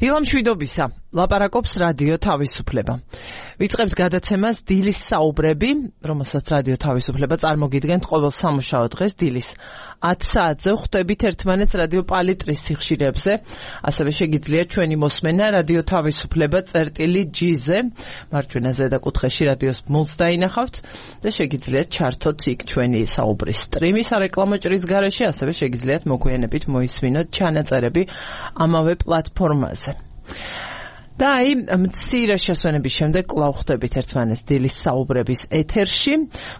დილამ შვიდობისა, ლაპარაკობს რადიო თავისუფლება. ვიწყებთ გადაცემას დილის საუბრები, რომელსაც რადიო თავისუფლება წარმოგიდგენთ ყოველ სამუშაო დღეს დილის 10 საათზე ხვდებით ერთმანეთს რადიო პალიტრის სიხშირეებზე, ასევე შეგიძლიათ ჩვენი მოსმენა რადიო თავისუფლება წერტილი-G-ზე, მარჯვენა ზედა კუთხეში რადიოს მულს დაინახავთ და შეგიძლიათ ჩართოთ იქ ჩვენი საუბრის სტრიმი სარეკლამო ჭრის გარეშე, ასევე შეგიძლიათ მოგვიანებით მოისმინოთ ჩანაწერები ამავე პლატფორმაზე. და აი, მცირე შესვენების შემდეგ კვლავ ხვდებით ერთმანეთს დილის საუბრების ეთერში.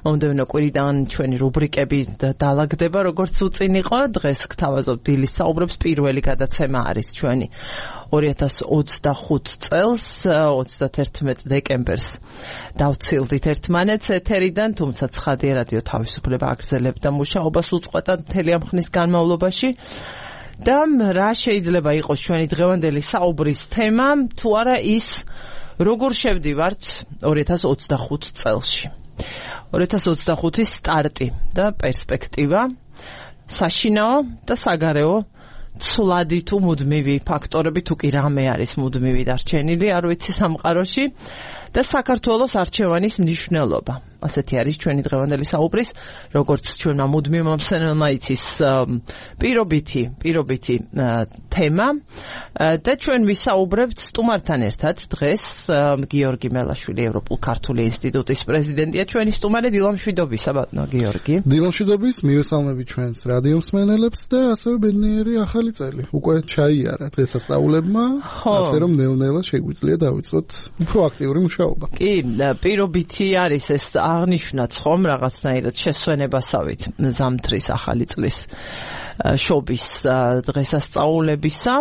მომდევნო კვირიდან ჩვენი რუბრიკები დაალაგდება, როგორც უწინ იყო. დღეს გთავაზობთ დილის საუბრებს. პირველი გადაცემა არის ჩვენი 2025 წელს, 31 დეკემბერს დავცილდით ერთმანეთს ეთერიდან, თუმცა ცხადია რადიო თავისუფლება აგრძელებდა მუშაობას უწყვეტად მთელი ამ ხნის განმავლობაში. და რა შეიძლება იყოს ჩვენი დღევანდელი საუბრის თემა, თუ არა ის, როგორ შევდივართ 2025 წელში. 2025-ის სტარტი და პერსპექტივა, საშინაო და საგარეო ცვლადი თუ მუდმივი ფაქტორები, თუ კი რამე არის მუდმივი დარჩენილი, არ ვიცი სამყაროში, და საქართველოს არჩევანის მნიშვნელობა. ასეთი არის ჩვენი დღევანდელი საუბრის, როგორც ჩვენმა მუდმივმა მსმენელმა იცის პირობითი თემა და ჩვენ ვისაუბრებთ სტუმართან ერთად დღეს გიორგი მელაშვილი, ევროპულ-ქართული ინსტიტუტის პრეზიდენტია, ჩვენი სტუმარი. დილამ შვიდობისა, ბატონო გიორგი. დილამ შვიდობის, მივესალმები ჩვენს რადიო მსმენელებს და ასევე ბედნიერი ახალი წელი. უკვე ჩაიარა დღესასწაულებმა, ასე რომ ნელ-ნელა შეგვიძლია დავიწყოთ უფრო აქტიური მუშაობა. კი, პირობითი არის ეს აღნიშნაც ხომ რაღაცნაირად შესვენებასავით ზამთრის ახალი წლის შობის დღესასწაულებისა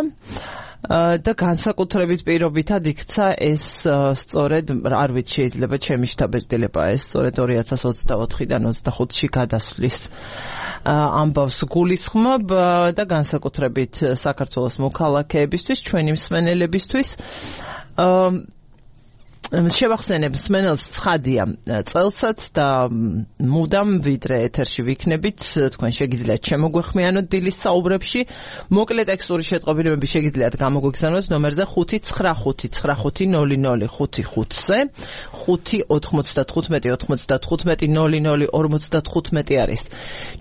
და განსაკუთრებით პირობითად იქცა ეს სწორედ, არ ვიცი, შეიძლება ჩემი შთაბეჭდილება ეს სწორედ 2024-დან 25-ში გადასვლის ამბავს გულისხმობ და განსაკუთრებით საქართველოს მოქალაქეებისთვის, ჩვენი მსმენელებისთვის. შევახსენებ მსმენელს ცხადია წელსაც და მუდამ ვიდრე ეთერში ვიქნებით, თქვენ შეგიძლიათ შემოგვეხმიანოთ დილის საუბრებში. მოკლე ტექსტური შეტყობინებები შეგიძლიათ გამოგვიგზავნოთ ნომერზე 595000055-ზე. 595-95-00-55 არის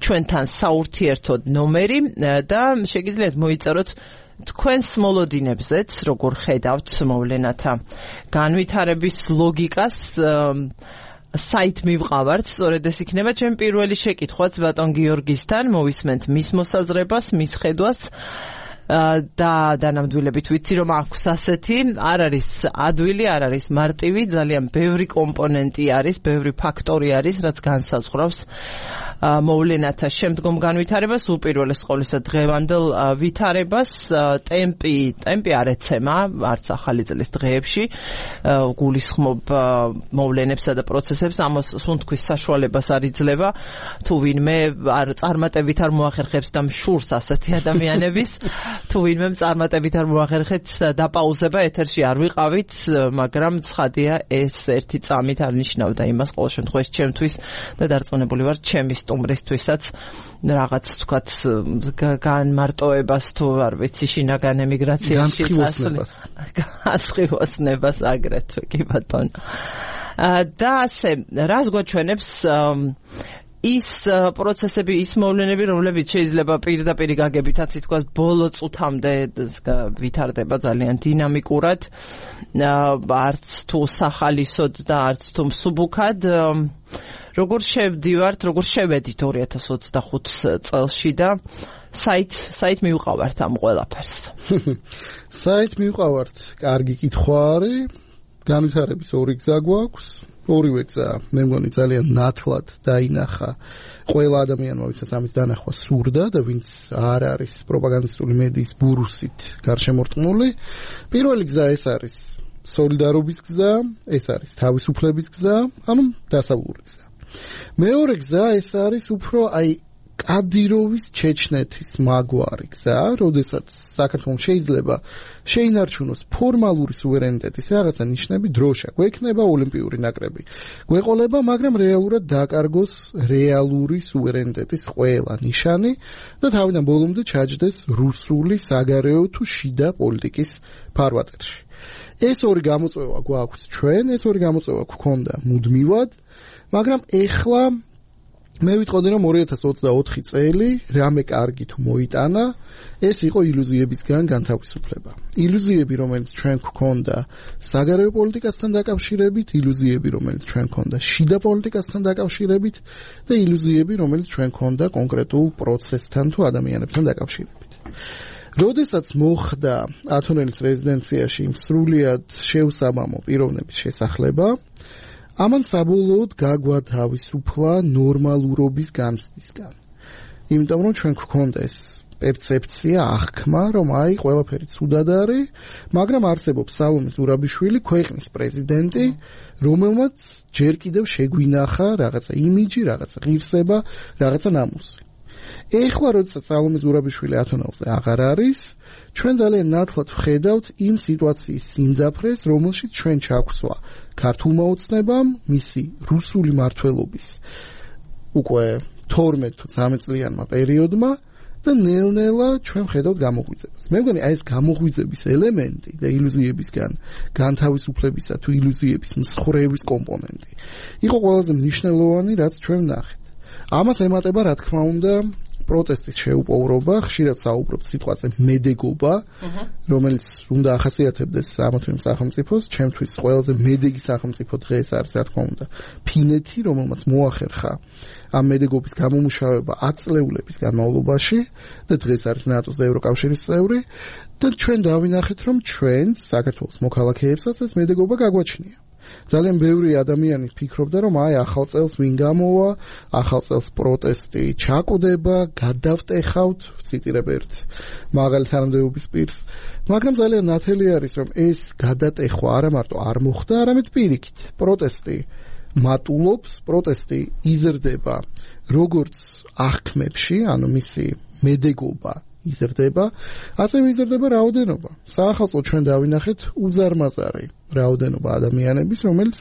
ჩვენთან საურთიერთო ნომერი და შეგიძლიათ მოიწეროთ თქვენს მოლოდინებზეც, როგორ ხედავთ მოვლენათა განვითარების ლოგიკას. საით მივყავართ, სწორედ ეს იქნება ჩემი პირველი შეკითხვაც ბატონ გიორგისთან, მოვისმენთ მის მოსაზრებას, მის ხედვას და დანამდვილებით ვიცი, რომ აქვს ასეთი, არ არის ადვილი, არ არის მარტივი, ძალიან ბევრი კომპონენტი არის, ბევრი ფაქტორი არის, რაც განსაზღვრავს მოვლენათა შემდგომ განვითარებას, უპირველეს ყოვლისა დღევანდელ ვითარებას. ტემპი არ ეცემა, არც ახალი წლის დღეებში, გულისხმობ მოვლენებსა და პროცესებს, ამას სუნთქვის საშუალებას არ იძლევა, თუ ვინმე წარმატებით არ მოახერხებს და მშურს ასეთი ადამიანების, თუ ვინმე წარმატებით არ მოახერხებს დაპაუზება ეთერში არ ვიყავით, მაგრამ ცხადია ეს ერთი წამით არ ნიშნავდა იმას ყოველ შემთხვევაში ჩემთვის და დარწმუნებული ვარ ჩემი სტუმრისთვისაც რაღაც თქვათ განმარტოებას თუ არ ვიცი შინაგან ემიგრაციაში განსხვავებას აგრეთვე კი ბატონო. და ასე რას გვაჩვენებს ის პროცესები, ის მოვლენები, რომლებიც შეიძლება პირდაპირ გაგებითაც ითქვას ბოლო წუთამდე ვითარდება ძალიან დინამიკურად, არც თუ სახალისოდ და არც თუ მსუბუქად. როგორ შევდივართ, როგორ შევედით 2025 წელში და საით მივყავართ ამ ყველაფერს? საით მივყავართ? კარგი კითხვა არის. განვითარების ორი გზა გვაქვს. ორივე გზა, მე მგონი ძალიან ნათლად დაინახა ყველა ადამიანმა, ვისაც ამის დანახვა სურდა და ვინც არ არის პროპაგანდისტული მედიის ბურუსით გარშემორტყმული. პირველი გზა ეს არის სოლიდარობის გზა, ეს არის თავისუფლების გზა, ანუ დასავლური გზა. მეორე გზა ეს არის უფრო კადიროვის ჩეჩნეთის მაგვარი გზა, როდესაც საქართველოს შეიძლება შეინარჩუნოს ფორმალური სუვერენიტეტის რაღაცა ნიშნები, დროშა, გვექნება ოლიმპიური ნაკრები, გვეყოლება, მაგრამ რეალურად დაკარგოს რეალური სუვერენიტეტის ყველა ნიშანი და თავიდან ბოლომდე ჩაჯდეს რუსული საგარეო თუ შიდა პოლიტიკის ფარვატერში. ეს ორი გამოწვევა გვაქვს ჩვენ, ეს ორი გამოწვევა გვქონდა მუდმივად, მაგრამ ეხლა მე ვიტყოდი რომ 2024 წელი რამე კარგი თუ მოიტანა, ეს იყო ილუზიებისგან განთავისუფლება. ილუზიები, რომელიც ჩვენ გვქონდა საგარეო პოლიტიკასთან დაკავშირებით, ილუზიები, რომელიც ჩვენ გვქონდა შიდა პოლიტიკასთან დაკავშირებით და ილუზიები, რომელიც ჩვენ გვქონდა კონკრეტულ პროცესთან თუ ადამიანებთან დაკავშირებით. როდესაც მოხდა ათონელის რეზიდენციაში სრულიად შეუსაბამო პიროვნების შესახლება, ამან საბოლოოდ გაგვათავისუფლა ნორმალურობის განცდისგან. იმიტომ რომ ჩვენ გვქონდა ეს პერცეფცია, აღქმა, რომ აი ყველაფერი ცუდად არის, მაგრამ არსებობს სალომე ზურაბიშვილი, ქვეყნის პრეზიდენტი, რომელმაც ჯერ კიდევ შეგვინახა რაღაცა იმიჯი, რაღაცა ღირსება, რაღაცა ნამუსი. ეხლა როდესაც სალომე ზურაბიშვილი ათონელზე აღარ არის, ჩვენ ძალიან ნათლად ვხედავთ იმ სიტუაციის სიმძაფრეს, რომელშიც ჩვენ ჩაგვსვა ქართულმა ოცნებამ, მისი რუსული მმართველობის უკვე 12 თუ 13 წლიანმა პერიოდმა და ნელ-ნელა ჩვენ ვხედავთ გამოღვიძებას. მე მგონი აი ეს გამოღვიძების ელემენტი და ილუზიებისგან განთავისუფლებისა თუ ილუზიების მსხვერპლის კომპონენტი იყო ყველაზე მნიშვნელოვანი, რაც ჩვენ ვნახეთ. ამას ემატება, რა თქმა უნდა, პროტესტის შეუპოვრობა, ხშირად საუბრობთ სიტყვაზე მედეგობა, რომელიც უნდა ახასიათებდეს ამა თუ იმ სახელმწიფოს, ჩემთვის ყველაზე მედეგი სახელმწიფო დღეს არის, რა თქმა უნდა, ფინეთი, რომელმაც მოახერხა ამ მედეგობის გამომუშავება 10 წლეულების განმავლობაში და დღეს არის ნატოს და ევროკავშირის წევრი და ჩვენ დავინახეთ, რომ ჩვენ საქართველოს მოქალაქეებსაც ეს მედეგობა გაგვაჩნია. ძალიან ბევრი ადამიანი ფიქრობდა, რომ აი ახალ წელს ვინ გამოვა, ახალ წელს პროტესტი ჩაკვდება, გადავტეხავთ, ვციტირებ ერთ მაღალი თანამდებობის პირს, მაგრამ ძალიან ნათელი არის, რომ ეს გადატეხვა არა მარტო არ მოხდა, არამედ პირიქით. პროტესტი მატულობს, პროტესტი იზრდება როგორც აღქმებში, ანუ მისი მედეგობა იზრდება, ასევე იზრდება რაოდენობა. საახალწლო ჩვენ დავინახეთ უზარმაზარი რაოდენობა ადამიანების, რომელიც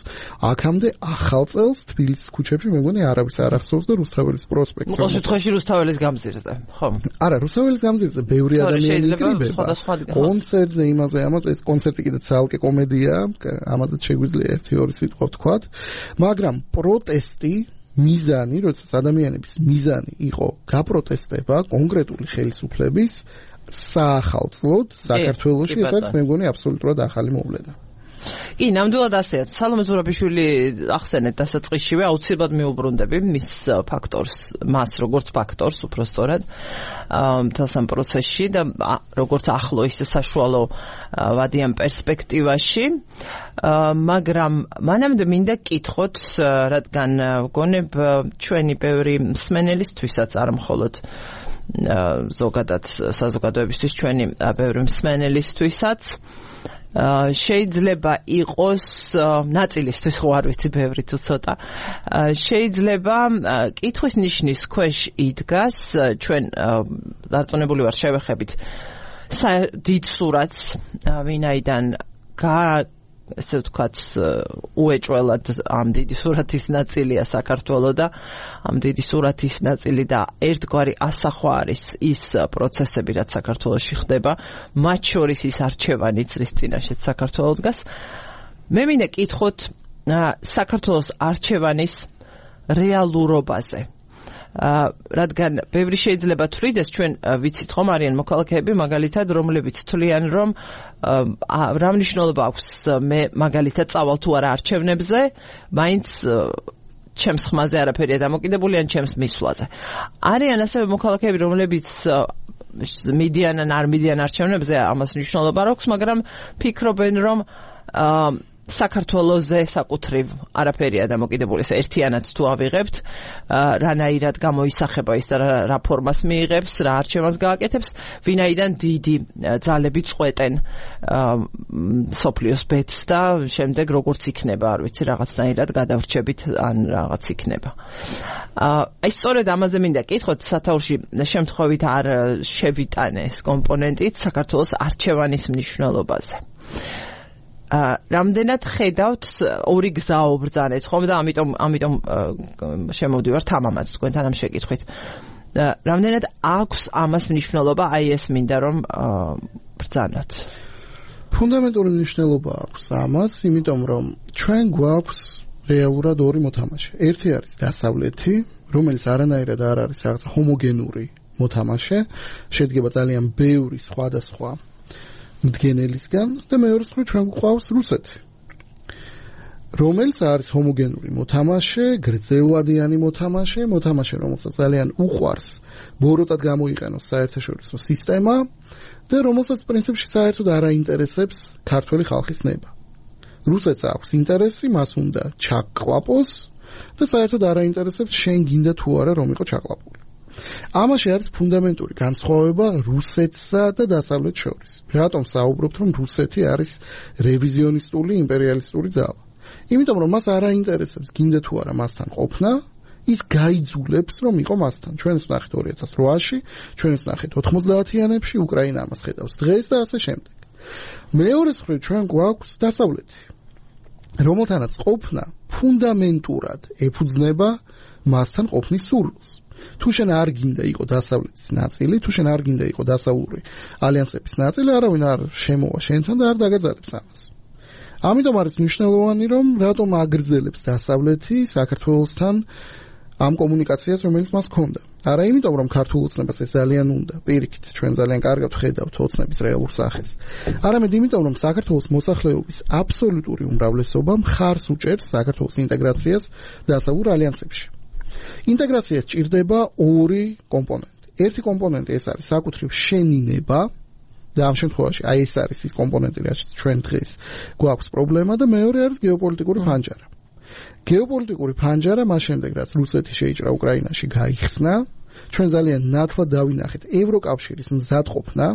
აქამდე ახალ წელს თბილისის ქუჩებში მე მგონი არავის არ ახსოვს და რუსთაველის პროსპექტზე. ყოველ შემთხვევაში რუსთაველის გამზირზე, ხო? არა, რუსთაველის გამზირზე ბევრი ადამიანი იკრიბება. კონცერტზე იმაზე, ამაზე, ეს კონცერტი კიდე ცალკე კომედიაა, ამაზე შეგვიძლია 1-2 სიტყვა ვთქვათ, მაგრამ პროტესტი მიზანი, როდესაც ადამიანების მიზანი იყო გაპროტესტება კონკრეტული ხელისუფლების საახალწლოდ საქართველოში, ეს არის მე მგონი აბსოლუტურად ახალი მოვლენა. კი, ნამდვილად ასეა. სალომე ზურაბიშვილი ახსენეთ დასაწყისშივე, აუცილებლად მიუბრუნდები მის ფაქტორს, მას როგორც ფაქტორს, უბრალოდ მთელს ამ პროცესში და როგორც ახლო ისე საშუალო ვადიან პერსპექტივაში. მაგრამ მანამდე მინდა კითხოთ, რადგან გონებ ჩვენი ბევრი მსმენელისთვისაც არ მხოლოდ ზოგადად საზოგადოებისთვის, ჩვენი ბევრი მსმენელისთვისაც შეიძლება იყოს ნაწილისთვის, ხო არ ვიცი, ბევრი თუ ცოტა, შეიძლება კითხვის ნიშნის ქვეშ იდგას, ჩვენ დარწმუნებული ვარ შევეხებით დიდ სურათს, ვინაიდან ესე ვთქვათ, უეჭველად ამ დიდი სურათის ნაწილია საქართველო და ამ დიდი სურათის ნაწილი და ერთგვარი ასახვა არის ის პროცესები, რაც საქართველოში ხდება, მათ შორის ის არჩევანიც, რის წინაშეც საქართველო დგას. მე მინდა კითხოთ საქართველოს არჩევანის რეალურობაზე. რადგან ბევრი შეიძლება თვლიდეს, ჩვენ ვიცით ხომ არიან მოქალაქეები მაგალითად, რომლებიც თვლიან, რომ რა მნიშვნელობა აქვს მე მაგალითად წავალ თუ არა არჩევნებზე, მაინც ჩემს ხმაზე არაფერია დამოკიდებული ან ჩემს მისვლაზე. არიან ასევე მოქალაქეები, რომლებიც მიდიან ან არ მიდიან არჩევნებზე, ამას მნიშვნელობა არ აქვს, მაგრამ ფიქრობენ, რომ საქართველოზე საკუთრივ არაფერია დამოკიდებული, ერთიანად თუ ავიღებთ, რანაირად გამოისახება ის და რა ფორმას მიიღებს, რა არჩევანს გააკეთებს, ვინაიდან დიდი ძალები წყვეტენ სოფლიოს ბედს და შემდეგ როგორც იქნება, არ ვიცი, რაღაცნაირად გადავრჩებით ან რაღაც იქნება. აი სწორედ ამაზე მინდა კითხოთ, სათაურში შემთხვევით არ შევიტანე ეს კომპონენტით საქართველოს არჩევანის მნიშვნელობაზე. რამდენად ხედავთ ორი გზაო ბრძანეთ ხომ და ამიტომ შემოვდივართ ამამაც თქვენთან ამ შეკითხვით. რამდენად აქვს ამას მნიშვნელობა, აი ეს მინდა რომ ბრძანოთ. ფუნდამენტური მნიშვნელობა აქვს ამას, იმიტომ რომ ჩვენ გვაქვს რეალურად ორი მოთამაშე. ერთი არის დასავლეთი, რომელიც არანაირად არ არის რაღაც ჰომოგენური მოთამაშე, შედგება ძალიან ბევრი სხვადასხვა მდგენელისგან და მეორე მხრივ ჩვენ გვყავს რუსეთი, რომელიც არის ჰომოგენური მოთამაშე, გრძელვადიანი მოთამაშე, რომელსაც ძალიან უყვარს ბოროტად გამოიყენოს საერთაშორისო სისტემა და რომელსაც პრინციპში საერთოდ არ აინტერესებს ქართველი ხალხის ნება. რუსეთს აქვს ინტერესი, მას უნდა ჩაკლაპოს და საერთოდ არ აინტერესებს შენ გინდა თუ არა რომ იყო ჩაკლაპული. ამაში არის ფუნდამენტური განსხვავება რუსეთსა და დასავლეთს შორის. რატომ საუბრობთ რომ რუსეთი არის რევიზიონისტული იმპერიალისტური ძალა? იმიტომ რომ მას არ აინტერესებს გინდა თუ არა მასთან ყოფნა, ის გაიძულებს რომ იყო მასთან. ჩვენს ვნახეთ 2008-ში, ჩვენს ვნახეთ 90-იანებში, უკრაინა ამას ხედავს დღეს და ასე შემდეგ. მეორე მხრივ ჩვენ გვაქვს დასავლეთი, რომელთანაც ყოფნა ფუნდამენტურად ეფუძნება მასთან ყოფნის სურვილს. თუ შენ არ გინდა იყო დასავლეთის ნაწილი, თუ შენ არ გინდა იყო დასავლური ალიანსების ნაწილი, არავინ არ შემოვა შენთან და არ დაგაძალებს ამას. ამიტომ არის მნიშვნელოვანი რომ რატომ აგრძელებს დასავლეთი საქართველოსთან ამ კომუნიკაციას, რომელიც მას ჰქონდა. არა იმიტომ რომ ქართულ ოცნებას ეს ძალიან უნდა, პირიქით, ჩვენ ძალიან კარგად ვხედავთ ოცნების რეალურ სახეს. არამედ იმიტომ რომ საქართველოს მოსახლეობის აბსოლუტური უმრავლესობა მხარს უჭერს საქართველოს ინტეგრაციას დასავლურ ალიანსებში. ინტეგრაციას ჭირდება ორი კომპონენტი. ერთი კომპონენტი ეს არის საკუთრივ შემინება და ამ შემთხვევაში აი ეს არის ის კომპონენტი, რაც ჩვენ დღეს გვაქვს პრობლემა და მეორე არის გეოპოლიტიკური ფანჯარა. გეოპოლიტიკური ფანჯარა მას შემდეგ რაც რუსეთი შეიჭრა უკრაინაში გაიხსნა, ჩვენ ძალიან ნათლად დავინახეთ ევროკავშირის მზადყოფნა,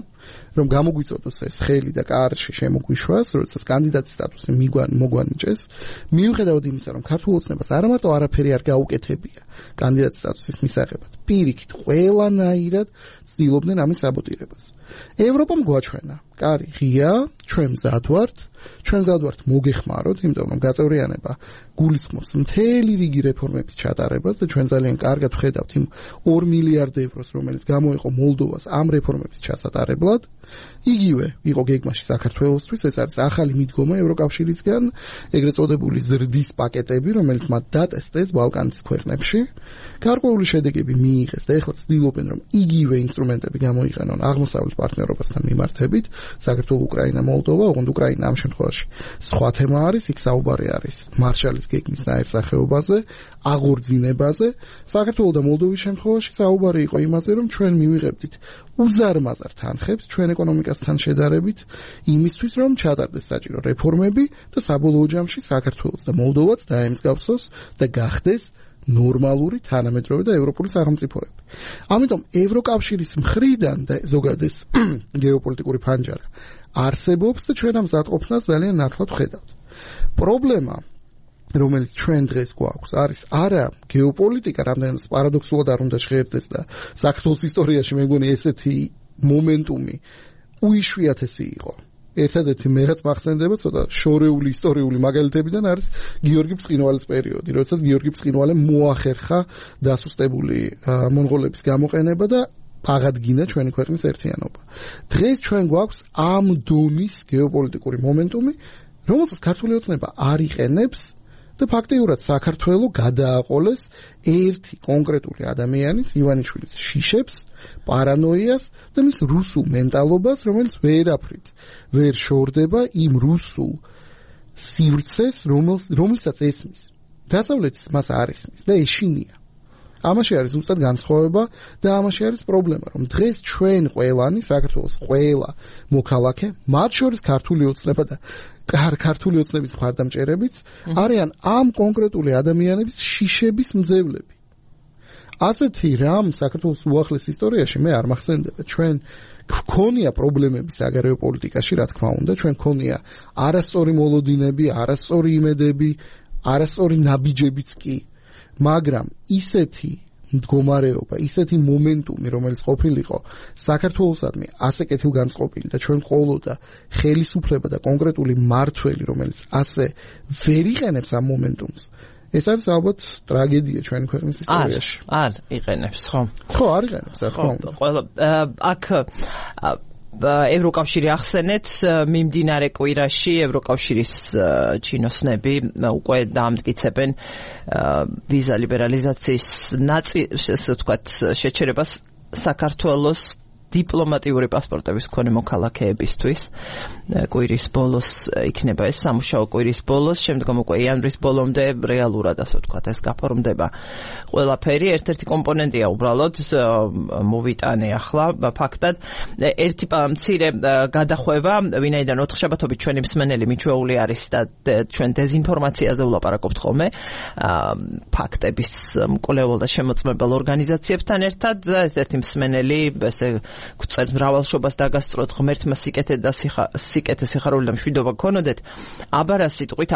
რომ გამოგვიწოდოს ეს ხელი და კარში შემოგვიშვას, როდესაც კანდიდატის სტატუსი მოგვანიჭეს, მიუხედავად იმისა, რომ ქართულ ოცნებას არა მარტო არაფერი არ გაუკეთებია კანდიდატის სტატუსის მისაღებად, პირიქით, ყველანაირად ცდილობდნენ ამის საბოტირებას. ევროპამ გვაჩვენა, კარი ღია, ჩვენ მზად ვართ მოგეხმაროთ, იმიტომ რომ გაწევრიანება გულისხმობს მთელი რიგი რეფორმების ჩატარებას და ჩვენ ძალიან კარგად ვხედავთ იმ 2 მილიარდ ევროს, რომელიც გამოიყო მოლდოვას ამ რეფორმების ჩასატარებლად. იგივე იყო გეგმაში საქართველოსთვის, ეს არის ახალი მიდგომა ევროკავშირისგან, ეგრეთ წოდებული ზრდის პაკეტები, რომელიც მათ დატესტეს ბალკანის ქვეყნებში. გარკვეული შედეგები მიიღეს და ეხლა ცდილობენ რომ იგივე ინსტრუმენტები გამოიყენონ აღმოსავლეთ პარტნიორობასთან მიმართებით, საქართველო, უკრაინა, მოლდოვა, ოღონდ უკრაინა ამ შემთხვევაში სხვა თემა არის, იქ საუბარი არის მარშალის გეგმის ნაირსახეობაზე, აღორძინებაზე. საქართველო და მოლდოვის შემთხვევაში საუბარი იყო იმაზე, რომ ჩვენ მივიღებდით უზარმაზარ თანხებს ჩვენ ეკონომიკასთან შედარებით იმისთვის, რომ ჩატარდეს საჭირო რეფორმები და საბოლოო ჯამში საქართველოს და მოლდოვაც დაემსგავსოს და გახდეს ნორმალური თანამედროვე და ევროპული სახელმწიფოები. ამიტომ ევროკავშირის მხრიდან და ზოგადად ეს გეოპოლიტიკური ფანჯარა არსებობს და ჩვენ ამ მზადყოფნას ძალიან ნათლად ვხედავთ. პრობლემა რომელიც ჩვენ დღეს გვაქვს არის არა გეოპოლიტიკა, რამდენიც პარადოქსულად არ უნდა შეერთდეს და საქართველოს ისტორიაში მე მგონი ესეთი მომენტუმი უიშვიათესი იყო. ერთადერთი მე რაც მახსენდება ცოტა შორეული ისტორიული მაგალითებიდან არის გიორგი ბრწყინვალის პერიოდი, როდესაც გიორგი ბრწყინვალემ მოახერხა დასუსტებული მონღოლების გამოყენება და აღადგინა ჩვენი ქვეყნის ერთიანობა. დღეს ჩვენ გვაქვს ამ დონის გეოპოლიტიკური მომენტუმი, რომელსაც ქართული ოცნება არ იყენებს და ფაქტიურად საქართველოს გადააყოლეს ერთი კონკრეტული ადამიანის, ივანიშვილის შიშებს, პარანოიას და მის რუსულ მენტალობას, რომელიც ვერაფრით ვერ შორდება იმ რუსულ სივრცეს, რომელსაც ესმის. დასავლეთის მას არ ესმის და ეშინია. ამაში არის უბრალოდ განსხვავება და ამაში არის პრობლემა, რომ დღეს ჩვენ ყველანი საქართველოს ყველა მოქალაქე, მათ შორის ქართული ოცნება და ქართული ოცნების მხარდამჭერებიც არიან ამ კონკრეტული ადამიანების შიშების მძევლები. ასეთი რამ საქართველოს უახლეს ისტორიაში მე არ მახსენდება. ჩვენ გქონია პრობლემები საგარეო პოლიტიკაში, რა თქმა უნდა, ჩვენ გქონია არასწორი მოლოდინები, არასწორი იმედები, არასწორი ნაბიჯებიც კი, მაგრამ ისეთი მდგომარეობა, ისეთი მომენტუმი, რომელიც ყოფილიყო საქართველოსადმი ასე კეთილგანწყობილი და ჩვენ ყოლოდა ხელისუფლება და კონკრეტული მმართველი, რომელიც ასე ვერ იყენებს ამ მომენტუმს. ეს არის ალბათ ტრაგედია ჩვენი ქვეყნის ისტორიაში. არ იყენებს, ხო? ხო, არ იყენებს, რა თქმა უნდა. ყველა აქ ევროკავშირი ახსენეთ, მიმდინარე კვირაში ევროკავშირის ჩინოსნები უკვე დაამტკიცებენ ვიზა ლიბერალიზაციის ასე ვთქვათ შეჩერებას საქართველოს დიპლომატიური პასპორტების მქონე მოქალაქეებისთვის. კვირის ბოლოს იქნება ეს სამუშაო კვირის ბოლოს, შემდგომ უკვე იანვრის ბოლომდე რეალურად ასე ვთქვათ ეს გაფორმდება ყველაფერი. ერთ-ერთი კომპონენტია უბრალოდ მოვიტანე ახლა ფაქტად ერთი მცირე გადახვევა, ვინაიდან ოთხშაბათობით ჩვენი მსმენელი მიჩვეული არის და ჩვენ დეზინფორმაციაზე ვლაპარაკობთ ხოლმე ფაქტების მკვლეველ და შემოწმებელ ორგანიზაციებთან ერთად და ეს ერთი მსმენელი ესე გვწერს მრავალშობას დაგასწროთ ღმერთმა სიკეთე სიხარული და მშვიდობა გქონოდეთ. აბა რა სიტყვით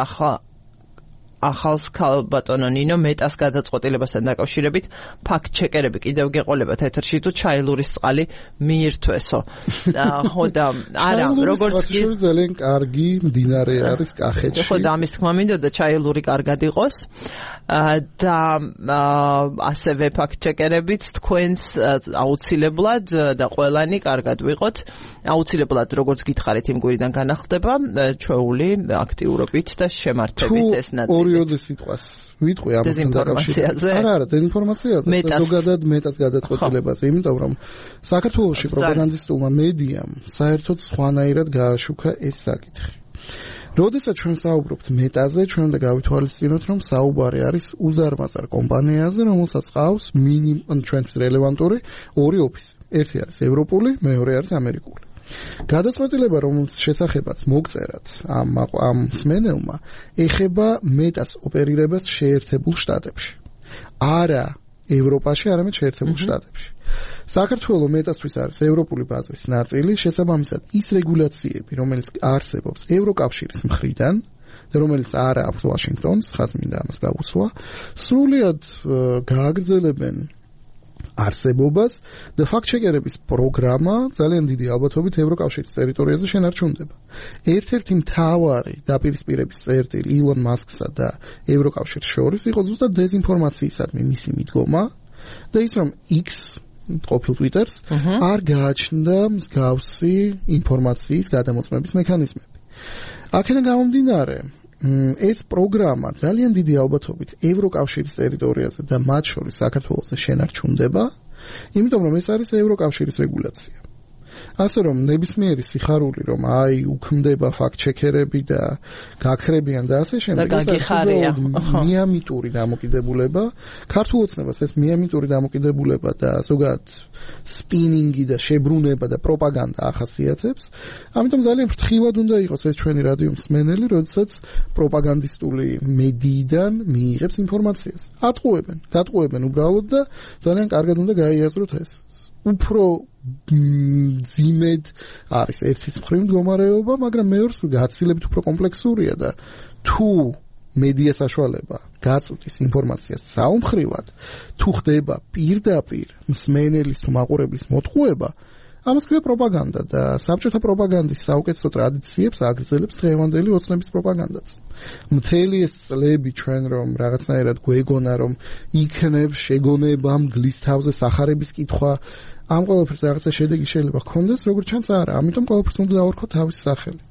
ახალს ქალბატონო ნინო მეტას გადაწყვეტილებასთან დაკავშირებით ფაქტ-ჩეკერები კიდევ გეყოლებათ ეთერში თუ ჩაილურის წყალი მიირთვესო. ხო და არა, როგორც კი ძალიან კარგი მდინარე არის კახეთში. ხო და ამის თქმა მინდოდა ჩაილური კარგად იყოს. და ასევე ფაქტ-ჩეკერებიც თქვენს აუცილებლად და ყველანი კარგად ვიყოთ. აუცილებლად როგორც გითხარით იმ კვირიდან განახლდება ჩვეული აქტიურობით და შემართებით ეს ნაწილი. ორიოდე სიტყვას ვიტყვი ამასთან დაკავშირებით. არა, დეზინფორმაციაზე და ზოგადად მეტას გადაწყვეტილებაზე, იმიტომ რომ საქართველოში პროპაგანდისტულმა მედიამ საერთოდ სხვანაირად გააშუქა ეს საკითხი. როდესაც ჩვენ საუბრობთ მეტაზე, ჩვენ უნდა გავითვალისწინოთ, რომ საუბარი არის უზარმაზარ კომპანიაზე, რომელსაც ყავს ჩვენთვის რელევანტური ორი ოფისი. ერთი არის ევროპული, მეორე არის ამერიკული. გადაწყვეტილება, რომელს შესახებაც მოგწერათ ამ მსმენელმა, ეხება მეტას ოპერირებას შეერთებულ შტატებში. არა ევროპაში, არამედ შეერთებულ შტატებში. საქართველო მეტასთვის არის ევროპული ბაზრის ნაწილი, შესაბამისად ის რეგულაციები, რომელიც არსებობს ევროკავშირის მხრიდან და რომელიც არ აქვს ვაშინგტონს, ხაზ მინდა ამას გავუსვა, სრულიად გააგრძელებენ არსებობას და ფაქტ-ჩეკერების პროგრამა ძალიან დიდი ალბათობით ევროკავშირის ტერიტორიაზე შენარჩუნდება. ერთ-ერთი მთავარი დაპირისპირების წერტილი ილონ მასკსა და ევროკავშირის შორის იყო ზუსტად დეზინფორმაციისადმი მისი მიდგომა და ის რომ X ყოფილ Twitter-ს არ გააჩნდა მსგავსი ინფორმაციის გადამოწმების მექანიზმები. აქედან გამომდინარე, ეს პროგრამა ძალიან დიდი ალბათობით ევროკავშირის ტერიტორიაზე და მათ შორის საქართველოს შენარჩუნდება, იმიტომ რომ ეს არის ევროკავშირის რეგულაცია. ასე რომ ნებისმიერი სიხარული რომ აი უქმდება ფაქტ-ჩეკერები და გაქრებიან და ასე შემდეგ, ეს მიამიტური დამოკიდებულება, ქართულ ოცნებას ეს მიამიტური დამოკიდებულება და ზოგადად სპინინგი და შებრუნება და პროპაგანდა ახასიათებს. ამიტომ ძალიან ფრთხილად უნდა იყოს ეს ჩვენი რადიო მსმენელი, როდესაც პროპაგანდისტული მედიიდან მიიღებს ინფორმაციას. გატყუებენ უბრალოდ და ძალიან კარგად უნდა გაიაზროთ ეს. უფრო ძიმედ არის ერთის მხრივ მდგომარეობა, მაგრამ მეორეს გაცილებით უფრო კომპლექსურია და თუ მედია საშუალება გაწვდის ინფორმაციას საომხრივად, თუ ხდება პირდაპირ მსმენელის თუ მაყურებლის მოტყუება, ამას ქვია პროპაგანდა და საბჭოთა პროპაგანდის საუკეთესო ტრადიციებს აგრძელებს დღევანდელი ოცნების პროპაგანდაც. მთელი ეს წლები ჩვენ რომ რაღაცნაირად გვეგონა რომ იქნებ შეგონება მგლის თავზე სახარების კითხვა, ამ ყველაფერს რაღაცა შედეგი შეიძლება ჰქონდეს, როგორც ჩანს არა, ამიტომ ყველაფერს უნდა დავარქვათ თავისი სახელი.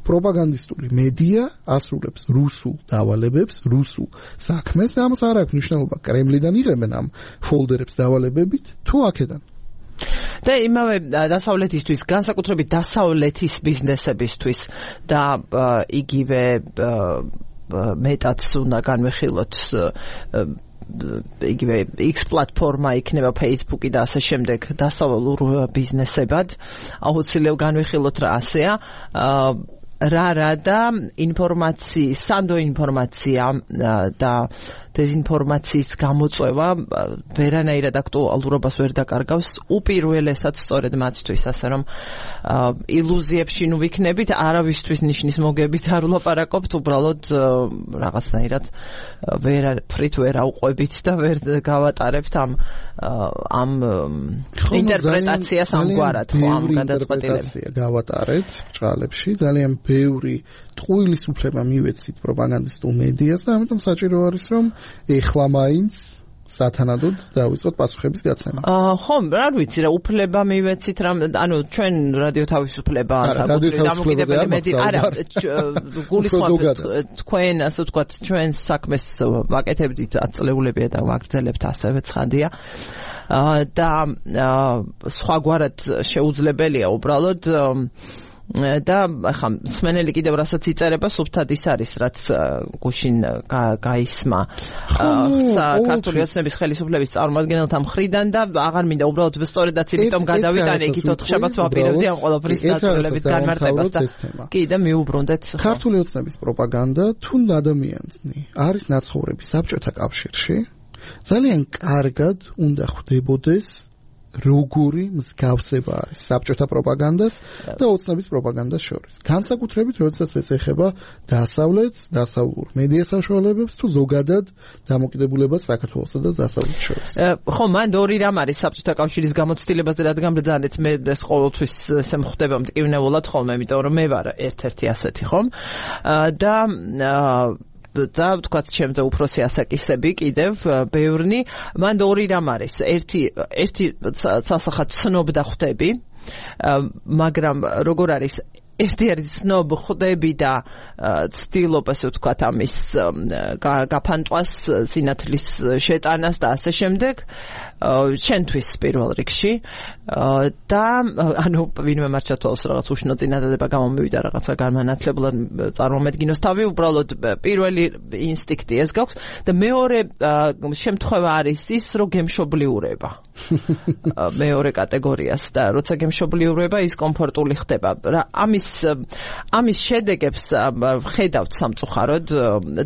პროპაგანდისტული მედია ასრულებს რუსულ დავალებებს, რუსულ საქმეს და ამას არ აქვს მნიშვნელობა კრემლიდან იღებენ ამ ფოლდერებს დავალებებით თუ აქედან. და იმავე დასავლეთისთვის, განსაკუთრებით დასავლეთის ბიზნესებისთვის და იგივე მეტაც უნდა განვიხილოთ იგივე X პლატფორმა იქნება Facebook-ი და ასე შემდეგ დასავლურ ბიზნესებად. აუცილებლად განვიხილოთ რა ასეა. რა და სანდო ინფორმაცია და დეზინფორმაციის გამოწვევა ვერანაირად აქტუალურობას ვერ დაკარგავს უპირველესად სწორედ მათთვის, ასე რომ ილუზიებში ნუ ვიქნებით, არავისთვის ნიშნის მოგებით არ ვლაპარაკობთ, უბრალოდ რაღაცნაირად ვერაფრით ვერ ავყვებით და ვერ გავატარებთ ამ ინტერპრეტაციას ამგვარად, ამ გადაწყვეტილებას გავატარეთ ბჭყალებში, ძალიან ბევრი ტყუილის უფლება მივეცით პროპაგანდისტულ მედიას და ამიტომ საჭირო არის რომ ეხლა მაინც სათანადოდ დავიწყოთ პასუხების გაცემა. ხო, არ ვიცი რა უფლება მივეცით რა, ანუ ჩვენ რადიო თავისუფლება საკუთრივ დამოკიდებელი მედია არა გულისხმობთ თქვენ ასე ვთქვათ ჩვენს საქმეს ვაკეთებდით აწლეულებია და ვაგრძელებთ ასევე ცხადია. და სხვაგვარად შეუძლებელია უბრალოდ და ახლა მსმენელი კიდევ რასაც იწერება სუფთად ის არის რაც გუშინ გაისმა ქართული ოცნების ხელისუფლების წარმომადგენელთა მხრიდან და აღარ მინდა უბრალოდ სწორედაც იმიტომ გადავიტანე იქით 4 შაბათს ვაპირებდი ამ ყველაფრის დაწვრილებით განმარტებას და კი და მიუბრუნდეთ ქართული ოცნების პროპაგანდა თუ ადამიანსნი არის ნაცხოვრები საბჭოთა კავშირში ძალიან კარგად უნდა ხვდებოდეს როგორი მსგავსება არის საბჭოთა პროპაგანდას და ოცნების პროპაგანდას შორის. განსაკუთრებით, როდესაც ეს ეხება დასავლეთს, დასავლურ მედია საშუალებებს თუ ზოგადად დამოკიდებულებას საქართველოსა და დასავლეთს შორის. ხო, მანდ ორი რამ არის საბჭოთა კავშირის გამოცდილებაზე, რადგან ბრძანეთ მე ეს ყოველთვის ესე მხდება მტკივნეულად ხოლმე, იმიტომ რომ მე ვარ ერთ-ერთი ასეთი, ხომ? და ვთქვათ ჩემზე უფროსი ასაკისები კიდევ ბევრნი მან ორი რამ არის ერთი სასახად ცნობდა ხვდები მაგრამ როგორ არის ერთი არის ცნობ ხვდები და ცდილობ ასე ვთქვათ ამის გაფანტვას სინათლის შეტანას და ასე შემდეგ ჩვენთვის პირველ რიგში და ანუ ვინმე მარჩათვალოს რაღაც უშნო წინადადება გამომივიდა რაღაცა განმანათლებლად წარმომედგინოს თავი უბრალოდ პირველი ინსტინქტი ეს გაქვს და მეორე შემთხვევა არის ის რომ გემშობლიურება მეორე კატეგორიას და როცა გემშობლიურება ის კომფორტული ხდება რა ამის შედეგებს ხედავთ სამწუხაროდ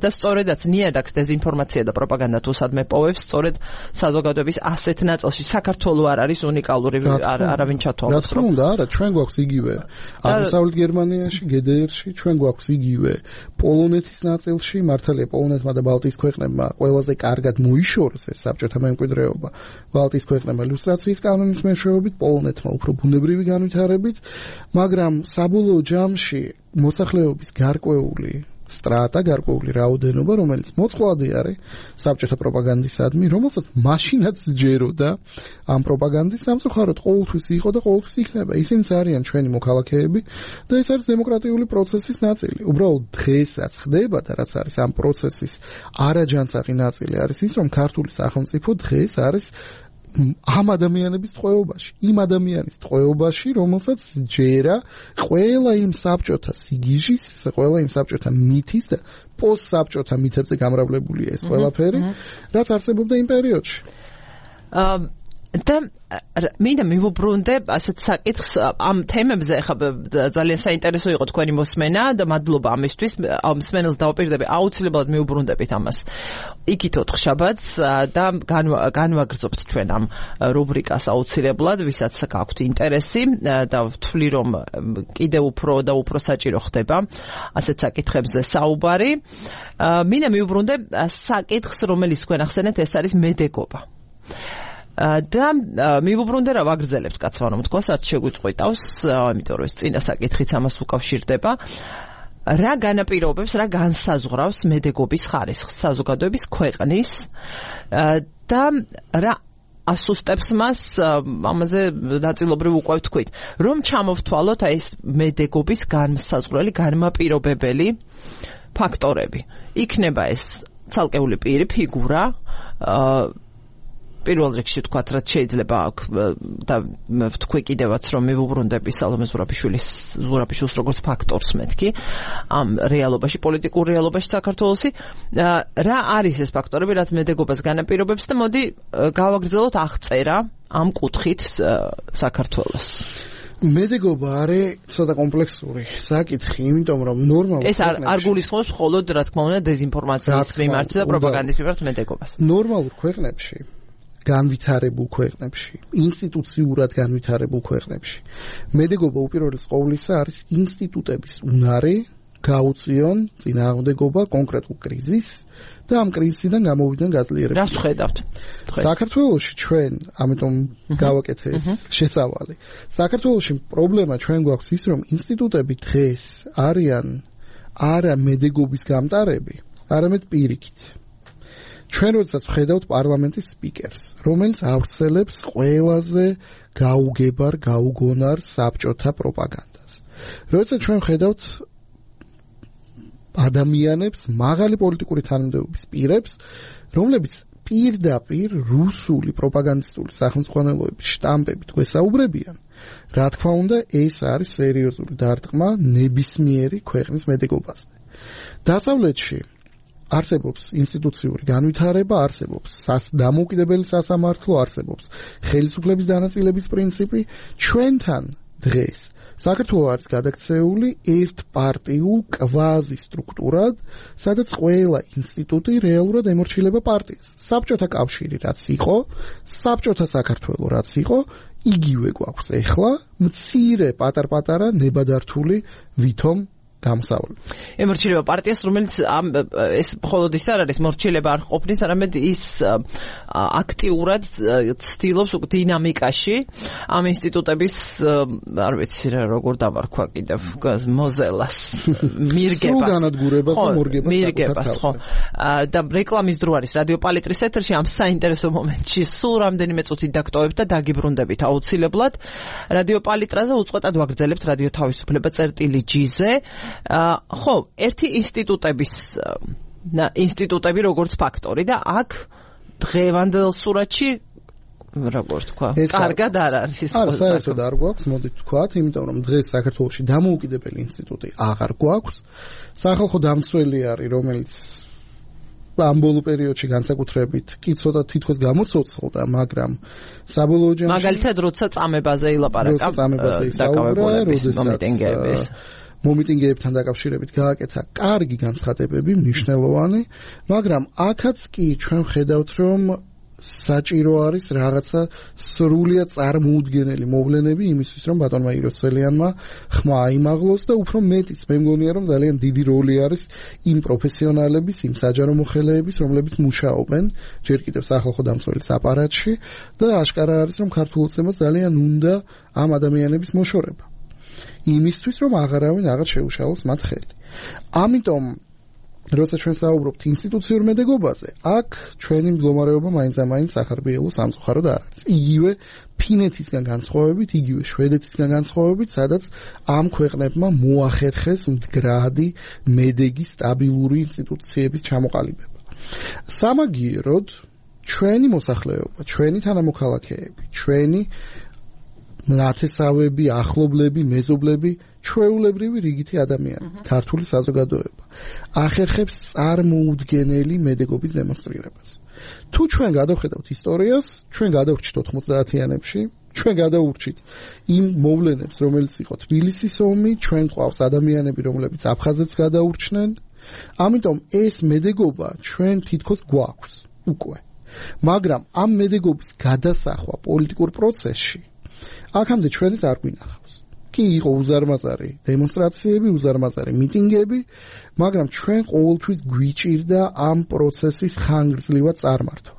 და სწორედაც ნიადაგს დეზინფორმაცია და პროპაგანდა თუ სადმე პოვებს სწორედ საზოგადოების ასეთ ნაწილში საქართველოს არ არის უნიკალური არავინ ჩათვალოს რომ რა არა ჩვენ გვაქვს იგივე აღმოსავლეთ გერმანიაში GDR-ში ჩვენ გვაქვს იგივე პოლონეთის ნაწილში მართალია პოლონეთმა და ბალტიის ქვეყნებმა ყველაზე კარგად მოიშორეს ეს საბჭოთა მემკვიდრეობა ბალტიის ქვეყნებმა ილუსტრაციის კანონის მეშვეობით პოლონეთმა უფრო ბუნებრივი განვითარებით მაგრამ საბოლოო ჯამში მოსახლეობის გარკვეული სტრატა, გარკვეული რაოდენობა, რომელიც მოწყვლადი არის საბჭოთა პროპაგანდისადმი, რომელსაც მაშინაც სჯეროდა ამ პროპაგანდის სამწუხაროდ ყოველთვის იყო და ყოველთვის იქნება. ისინიც არიან ჩვენი მოქალაქეები და ეს არის დემოკრატიული პროცესის ნაწილი. უბრალოდ დღეს რაც ხდება და რაც არის ამ პროცესის არაჯანსაღი ნაწილი არის ის, რომ ქართული სახელმწიფო დღეს არის ამ ადამიანების ტყვეობაში, იმ ადამიანის ტყვეობაში, რომელსაც ჯერა ყველა იმ საბჭოთა სიგიჟის, ყველა იმ საბჭოთა მითის და პოსტსაბჭოთა მითებზე გამრავლებულია ეს ყველაფერი, რაც არსებობდა იმ პერიოდში. და მინდა მივუბრუნდე ასეთ საკითხს ამ თემებზე ახლა ძალიან საინტერესო იყო თქვენი მოსმენა და მადლობა ამისთვის ამ მსმენელს დავაპირდები აუცილებლად მივუბრუნდებით ამას იქით 4 შაბათს და განვაგრძობთ ჩვენ ამ რუბრიკას აუცილებლად ვისაც გაქვთ ინტერესი და ვთვლი რომ კიდევ უფრო და უფრო საჭირო ხდება ასეთ საკითხებზე საუბარი მინდა მივუბრუნდე საკითხს რომელიც თქვენ ახსენეთ ეს არის მედეგობა და მივუბრუნდე რა ვაგრძელებთ კაცმა რომ თქვა რაც შეგვიწყვიტავს იმიტომ რომ ეს წინა საკითხიც ამას უკავშირდება რა განაპირობებს რა განსაზღვრავს მედეგობის ხარისხს საზოგადოების ქვეყნის და რა ასუსტებს მას ამაზე ნაწილობრივ უკვე ვთქვით რომ ჩამოვთვალოთ აი ეს მედეგობის განსაზღვრელი განმაპირობებელი ფაქტორები იქნება ეს ცალკეული პირი ფიგურა პირველ რიგში თქვათ, რაც შეიძლება აქ და ვთქვი კიდევაც, რომ მივუბრუნდები სალომე ზურაბიშვილს როგორც ფაქტორს მეთქი ამ რეალობაში, პოლიტიკურ რეალობაში საქართველოსი, რა არის ეს ფაქტორები, რაც მედეგობას განაპირობებს და მოდი გავაგრძელოთ აღწერა ამ კუთხით საქართველოს. მედეგობა არის ცოტა კომპლექსური საკითხი, იმიტომ რომ ნორმალურ ეს არ გულისხმობს მხოლოდ, რა თქმა უნდა, დეზინფორმაციის მიმართ და პროპაგანდის მიმართ მედეგობას. ნორმალურ ქვეყნებში, განვითარებულ ქვეყნებში, ინსტიტუციურად განვითარებულ ქვეყნებში, მედეგობა უპირველეს ყოვლისა არის ინსტიტუტების უნარი გაუწიონ წინააღმდეგობა კონკრეტულ კრიზისს და ამ კრიზისიდან გამოვიდნენ გაძლიერებები. რას ხედავთ? საქართველოში ჩვენ, ამიტომ გავაკეთე ეს შესავალი. საქართველოში პრობლემა ჩვენ გვაქვს ის, რომ ინსტიტუტები დღეს არიან არა მედეგობის გამტარები, არამედ პირიქით. ჩვენ როდესაც ვხედავთ პარლამენტის სპიკერს, რომელიც ავრცელებს ყველაზე გაუგებარ, გაუგონარ საბჭოთა პროპაგანდას. როდესაც ჩვენ ვხედავთ ადამიანებს, მაღალი პოლიტიკური თანამდებობის პირებს, რომლებიც პირდაპირ რუსული პროპაგანდისტული სახელმძღვანელოების შტამპებით გვესაუბრებიან, რა თქმა უნდა, ეს არის სერიოზული დარტყმა ნებისმიერი ქვეყნის მედეგობაზე. დასავლეთში არსებობს ინსტიტუციური განვითარება, არსებობს დამოუკიდებელი სასამართლო, არსებობს ხელისუფლების დანაწილების პრინციპი, ჩვენთან დღეს საქართველოს არის გადაქცეული ერთპარტიულ კვაზი სტრუქტურად, სადაც ყველა ინსტიტუტი რეალურად ემორჩილება პარტიას. საბჭოთა კავშირი რაც იყო, საბჭოთა საქართველო რაც იყო, იგივე გვაქვს ეხლა, მცირე პატარ-პატარა ნებადართული ვითომ გამოსავალი. ემორჩილება პარტიას, რომელიც ეს მხოლოდ ის არ არის, მორჩილება არ ყოფნის, არამედ ის აქტიურად ცდილობს დინამიკაში ამ ინსტიტუტების, არ ვიცი რა როგორ დავარქვა კიდევ, მოზელას, მირგებას, ხო. და რეკლამის დრო არის რადიო პალიტრის ეთერში, ამ საინტერესო მომენტში სულ რამდენიმე წუთით დაგტოვებთ და დაგიბრუნდებით აუცილებლად. რადიო პალიტრაზე უწყვეტად ვაგრძელებთ რადიო თავისუფლება წერტილი-G-ზე. ხო, ერთი ინსტიტუტები როგორც ფაქტორი და აქ დღევანდელ სურათში როგორ თქვა, კარგად არ არის ის. არა, საერთოდ არ გვაქვს, მოდით ვთქვათ, იმიტომ რომ დღეს საქართველოში დამოუკიდებელი ინსტიტუტი აღარ გვაქვს. სახალხო დამცველი არის, რომელიც ამ ბოლო პერიოდში განსაკუთრებით კი ცოტა თითქოს გამოცოცხლდა, მაგრამ საბოლოო ჯამში მაგალითად როცა წამებაზე ილაპარაკა, მომიტინგეების მომიტინგეებთან დაკავშირებით გააკეთა კარგი განცხადებები, მნიშვნელოვანი, მაგრამ აქაც კი ჩვენ ვხედავთ, რომ საჭირო არის რაღაცა სრულიად წარმოუდგენელი მოვლენები იმისთვის, რომ ბატონმა იროსელიანმა ხმა აიმაღლოს და უფრო მეტიც მე მგონია, რომ ძალიან დიდი როლი არის იმ პროფესიონალების, იმ საჯარო მოხელეების, რომლებიც მუშაობენ ჯერ კიდევ სახალხო დამცველის აპარატში და ашკარა არის, რომ ქართულ ოცნებას ძალიან უნდა ამ ადამიანების მოშორება. იმისთვის, რომ აღარავინ აღარ შეუშალოს მათ ხელი. ამიტომ როცა ჩვენ საუბრობთ ინსტიტუციურ მედეგობაზე, აქ ჩვენი მდგომარეობა მაინც სახარბიელო სამწუხაროდ არ არის. იგივე ფინეთისგან განსხვავებით, იგივე შვედეთისგან განსხვავებით, სადაც ამ ქვეყნებმა მოახერხეს მდგრადი მედეგი სტაბილური ინსტიტუციების ჩამოყალიბება. სამაგიეროდ ჩვენი მოსახლეობა, ჩვენი თანამოქალაქეები, ჩვენი ნათესავები, ახლობლები, მეზობლები, ჩვეულებრივი რიგითი ადამიანი, ქართული საზოგადოება ახერხებს წარმოუდგენელი მედეგობის დემონსტრირებას. თუ ჩვენ გადავხედავთ ისტორიას, ჩვენ გადავრჩით 90-იანებში, ჩვენ გადაურჩით იმ მოვლენებს, რომელიც იყო თბილისის ომი, ჩვენ გვყავს ადამიანები, რომლებიც აფხაზეთს გადაურჩნენ. ამიტომ ეს მედეგობა ჩვენ თითქოს გვაქვს უკვე. მაგრამ ამ მედეგობის გადასახვა პოლიტიკურ პროცესში აქამდე ჩვენს არ გვინახავს. კი იყო უზარმაზარი დემონსტრაციები, უზარმაზარი მიტინგები, მაგრამ ჩვენ ყოველთვის გვიჭირდა ამ პროცესის ხანგრძლივად წარმართვა.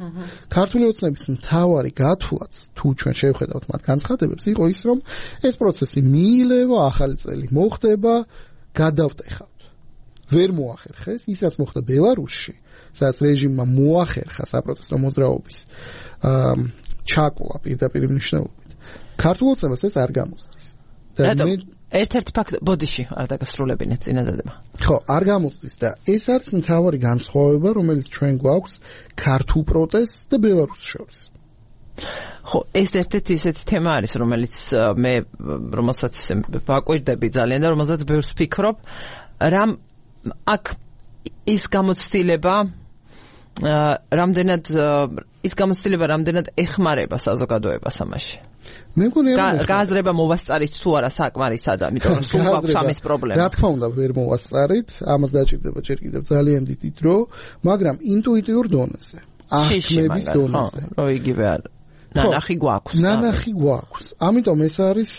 ქართული ოცნების მთავარი გათვლაც, თუ ჩვენ შევხედავთ მათ განცხადებებს, იყო ის, რომ ეს პროცესი მიილევა, ახალი წელი მოხდება, გადავტეხავთ. ვერ მოახერხეს ის, რაც მოხდა ბელარუსში, სადაც რეჟიმმა მოახერხა საპროტესტო მოძრაობის ჩაკლა პირდაპირ მნიშვნელობით. ქართულ ოცნებას ეს არ გამოსდის. ერთ-ერთი ფაქტი ბოდიში არ დაგასრულებინეთ წინადადება. ხო, არ გამოსდის და ეს არის მთავარი განსხვავება, რომელიც ჩვენ გვაქვს ქართულ პროტესტს და ბელარუსს შორის. ხო, ეს ერთ-ერთი ისეთი თემა არის, რომელიც მე რომელსაც ვაკვირდები ძალიან და რომელსაც ბევრს ვფიქრობ, რამ აქ ის გამოცდილება რამდენად ეხმარება საზოგადოებას ამაში. მე მგონი გააზრება მოვასწარით თუ არა საკმარისად, ამიტომ რომ სულ გვაქვს ამის პრობლემა. რა თქმა უნდა, ვერ მოვასწარით, ამას დაჭირდება ჯერ კიდევ ძალიან დიდი დრო, მაგრამ ინტუიტიურ დონეზე, აღქმების დონეზე. რო იგივე არ ნანახი გვაქვს. ამიტომ ეს არის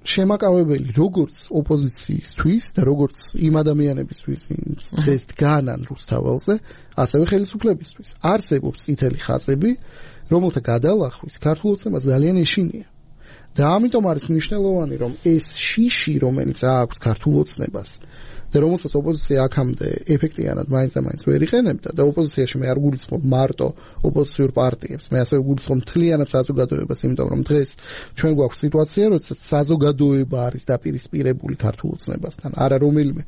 შემაკავებელი როგორც ოპოზიციისთვის და როგორც იმ ადამიანებისთვის, ეს განან რუსთაველზე, ასევე ხელისუფლებისთვის. არსებობს წითელი ხაზები, რომელთა გადალახვის ქართულ ოცნებას ძალიან ეშინია. და ამიტომ არის მნიშვნელოვანი, რომ ეს შიში, რომელიც აქვს ქართულ ოცნებას და რომელსაც ოპოზიცია აქამდე ეფექტიანად მაინც ვერ იყენებდა და ოპოზიციაში მე არ გულისხმობ მარტო ოპოზიციურ პარტიებს, მე ასევე გულისხმობ მთლიანად საზოგადოებას, იმიტომ რომ დღეს ჩვენ გვაქვს სიტუაცია, როდესაც საზოგადოება არის დაპირისპირებული ქართულ ოცნებასთან, არა რომელიმე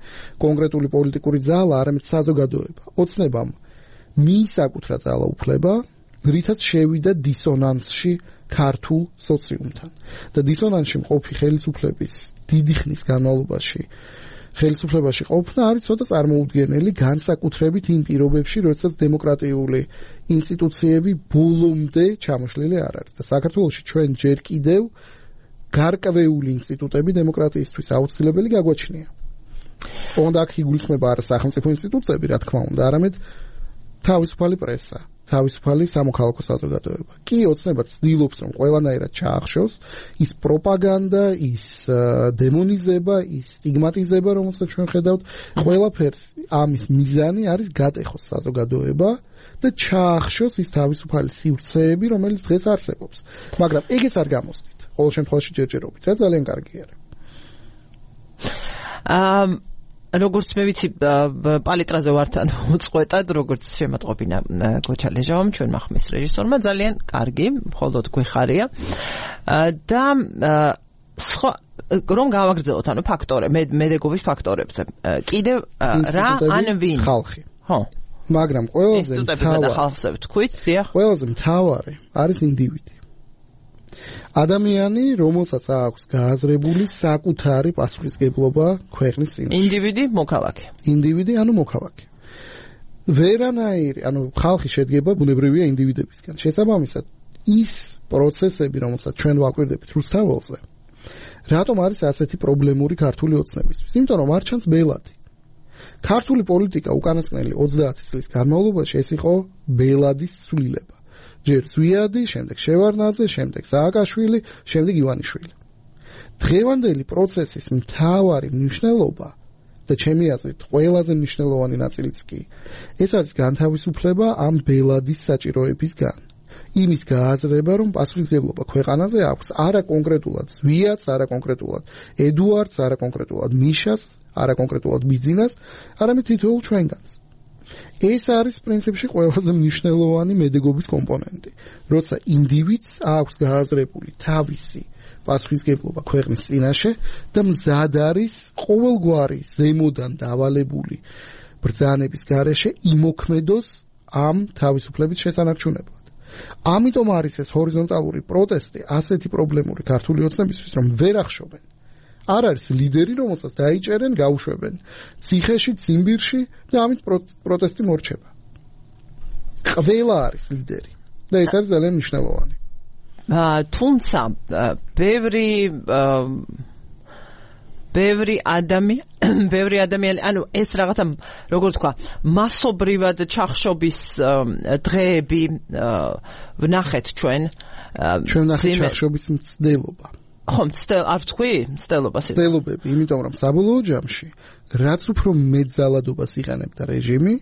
კონკრეტული პოლიტიკური ძალა, არამედ საზოგადოება. ოცნებამ მიისაკუთრა ძალაუფლება, რითაც შევიდა დისონანსში ქართულ სოციუმთან. და დისონანსში მყოფი ხელისუფლების დიდი ხნის განმავლობაში ხელისუფლებაში ყოფნა არის ცოტა წარმოუდგენელი, განსაკუთრებით იმ პირობებში, როდესაც დემოკრატიული ინსტიტუციები ბოლომდე ჩამოშლილი არ არის. და საქართველოში ჩვენ ჯერ კიდევ გარკვეული ინსტიტუტები დემოკრატიისთვის აუცილებელი გაგვაჩნია. ოღონდ აქ იგულისხმება არა სახელმწიფო ინსტიტუტები, რა თქმა უნდა, არამედ თავისუფალი პრესა, თავისუფალი სამოქალაქო საზოგადოება. კი, ოცნება ცდილობს, რომ ყველანაირად ჩაახშოს ის პროპაგანდა, ის დემონიზება, ის სტიგმატიზება, რომელსაც ჩვენ ხედავთ, ყველაფერს ამის მიზანი არის გატეხოს საზოგადოება და ჩაახშოს ის თავისუფალი სივრცეები, რომელიც დღეს არსებობს. მაგრამ ეგეც არ გამოსდით. ყოველ შემთხვევაში ჯერჯერობით, რა ძალიან კარგი არის. როგორც მე ვიცი, პალიტრაზე ვართ ან უწყვეტად, როგორც შემატყობინა გოჩალეჟავამ, ჩვენ მახმის რეჟისორმა, ძალიან კარგი, მხოლოდ გვეხარია. და სხვა რომ გავაგრძელოთ, ანუ ფაქტორები, მედეგობის ფაქტორებზე. კიდევ რა ან ვინ? ხალხი. ხო. მაგრამ ყველაზე მთავარი არის ინდივიდი. ადამიანი, რომელსაც აქვს გააზრებული საკუთარი პასუხისგებლობა ქვეყნის წინაშე. ინდივიდი, ანუ მოქალაქე. ვერანაირი, ანუ ხალხი შედგება ბუნებრივია ინდივიდებისგან. შესაბამისად, ის პროცესები, რომელსაც ჩვენ ვაკვირდებით რუსთაველზე, რატომ არის ასეთი პრობლემური ქართული ოცნებისთვის? იმიტომ რომ არ ჩანს ბელადი. ქართული პოლიტიკა უკანასკნელი 30 წლის განმავლობაში ეს იყო ბელადის ცვლილება. ჯერ ზვიადი, შემდეგ შევარდნაძე, შემდეგ სააკაშვილი, შემდეგ ივანიშვილი. დღევანდელი პროცესის მთავარი მნიშვნელობა და ჩემი აზრით ყველაზე მნიშვნელოვანი ნაწილიც კი ეს არის განთავისუფლება ამ ბელადის საჭიროებისგან. იმის გააზრება, რომ პასუხისგებლობა ქვეყანაზე აქვს არა კონკრეტულად ზვიადს, არა კონკრეტულად ედუარდს, არა კონკრეტულად მიშას, არა კონკრეტულად ბიზინას, არამედ თითოეულ ჩვენგანს. ეს არის პრინციპში ყველაზე მნიშვნელოვანი მედეგობის კომპონენტი. როცა ინდივიდს აქვს გააზრებული თავისი პასუხისგებლობა ქვეყნის წინაშე და მზად არის ყოველგვარი ზემოდან დავალებული ბრძანების გარეშე იმოქმედოს ამ თავისუფლების შესანარჩუნებლად. ამიტომ არის ეს ჰორიზონტალური პროტესტი ასეთი პრობლემური ქართული ოცნებისთვის, რომ ვერ ახშობენ. არ არის ლიდერი, რომელსაც დაიჭერენ, გაუშვებენ ციხეში, ციმბირში და ამით პროტესტი მორჩება. ყველა არის ლიდერი და ეს არის ძალიან მნიშვნელოვანი. თუმცა ბევრი ადამიანი, ანუ ეს რაღაცა, როგორ თქვა, მასობრივად ჩახშობის დღეები ვნახეთ ჩვენ ვნახეთ ჩახშობის მცდელობა. ხომ, არ თქვი? მცდელობები, იმიტომ რომ საბოლოო ჯამში, რაც უფრო მეტ ძალადობას იყენებდა რეჟიმი,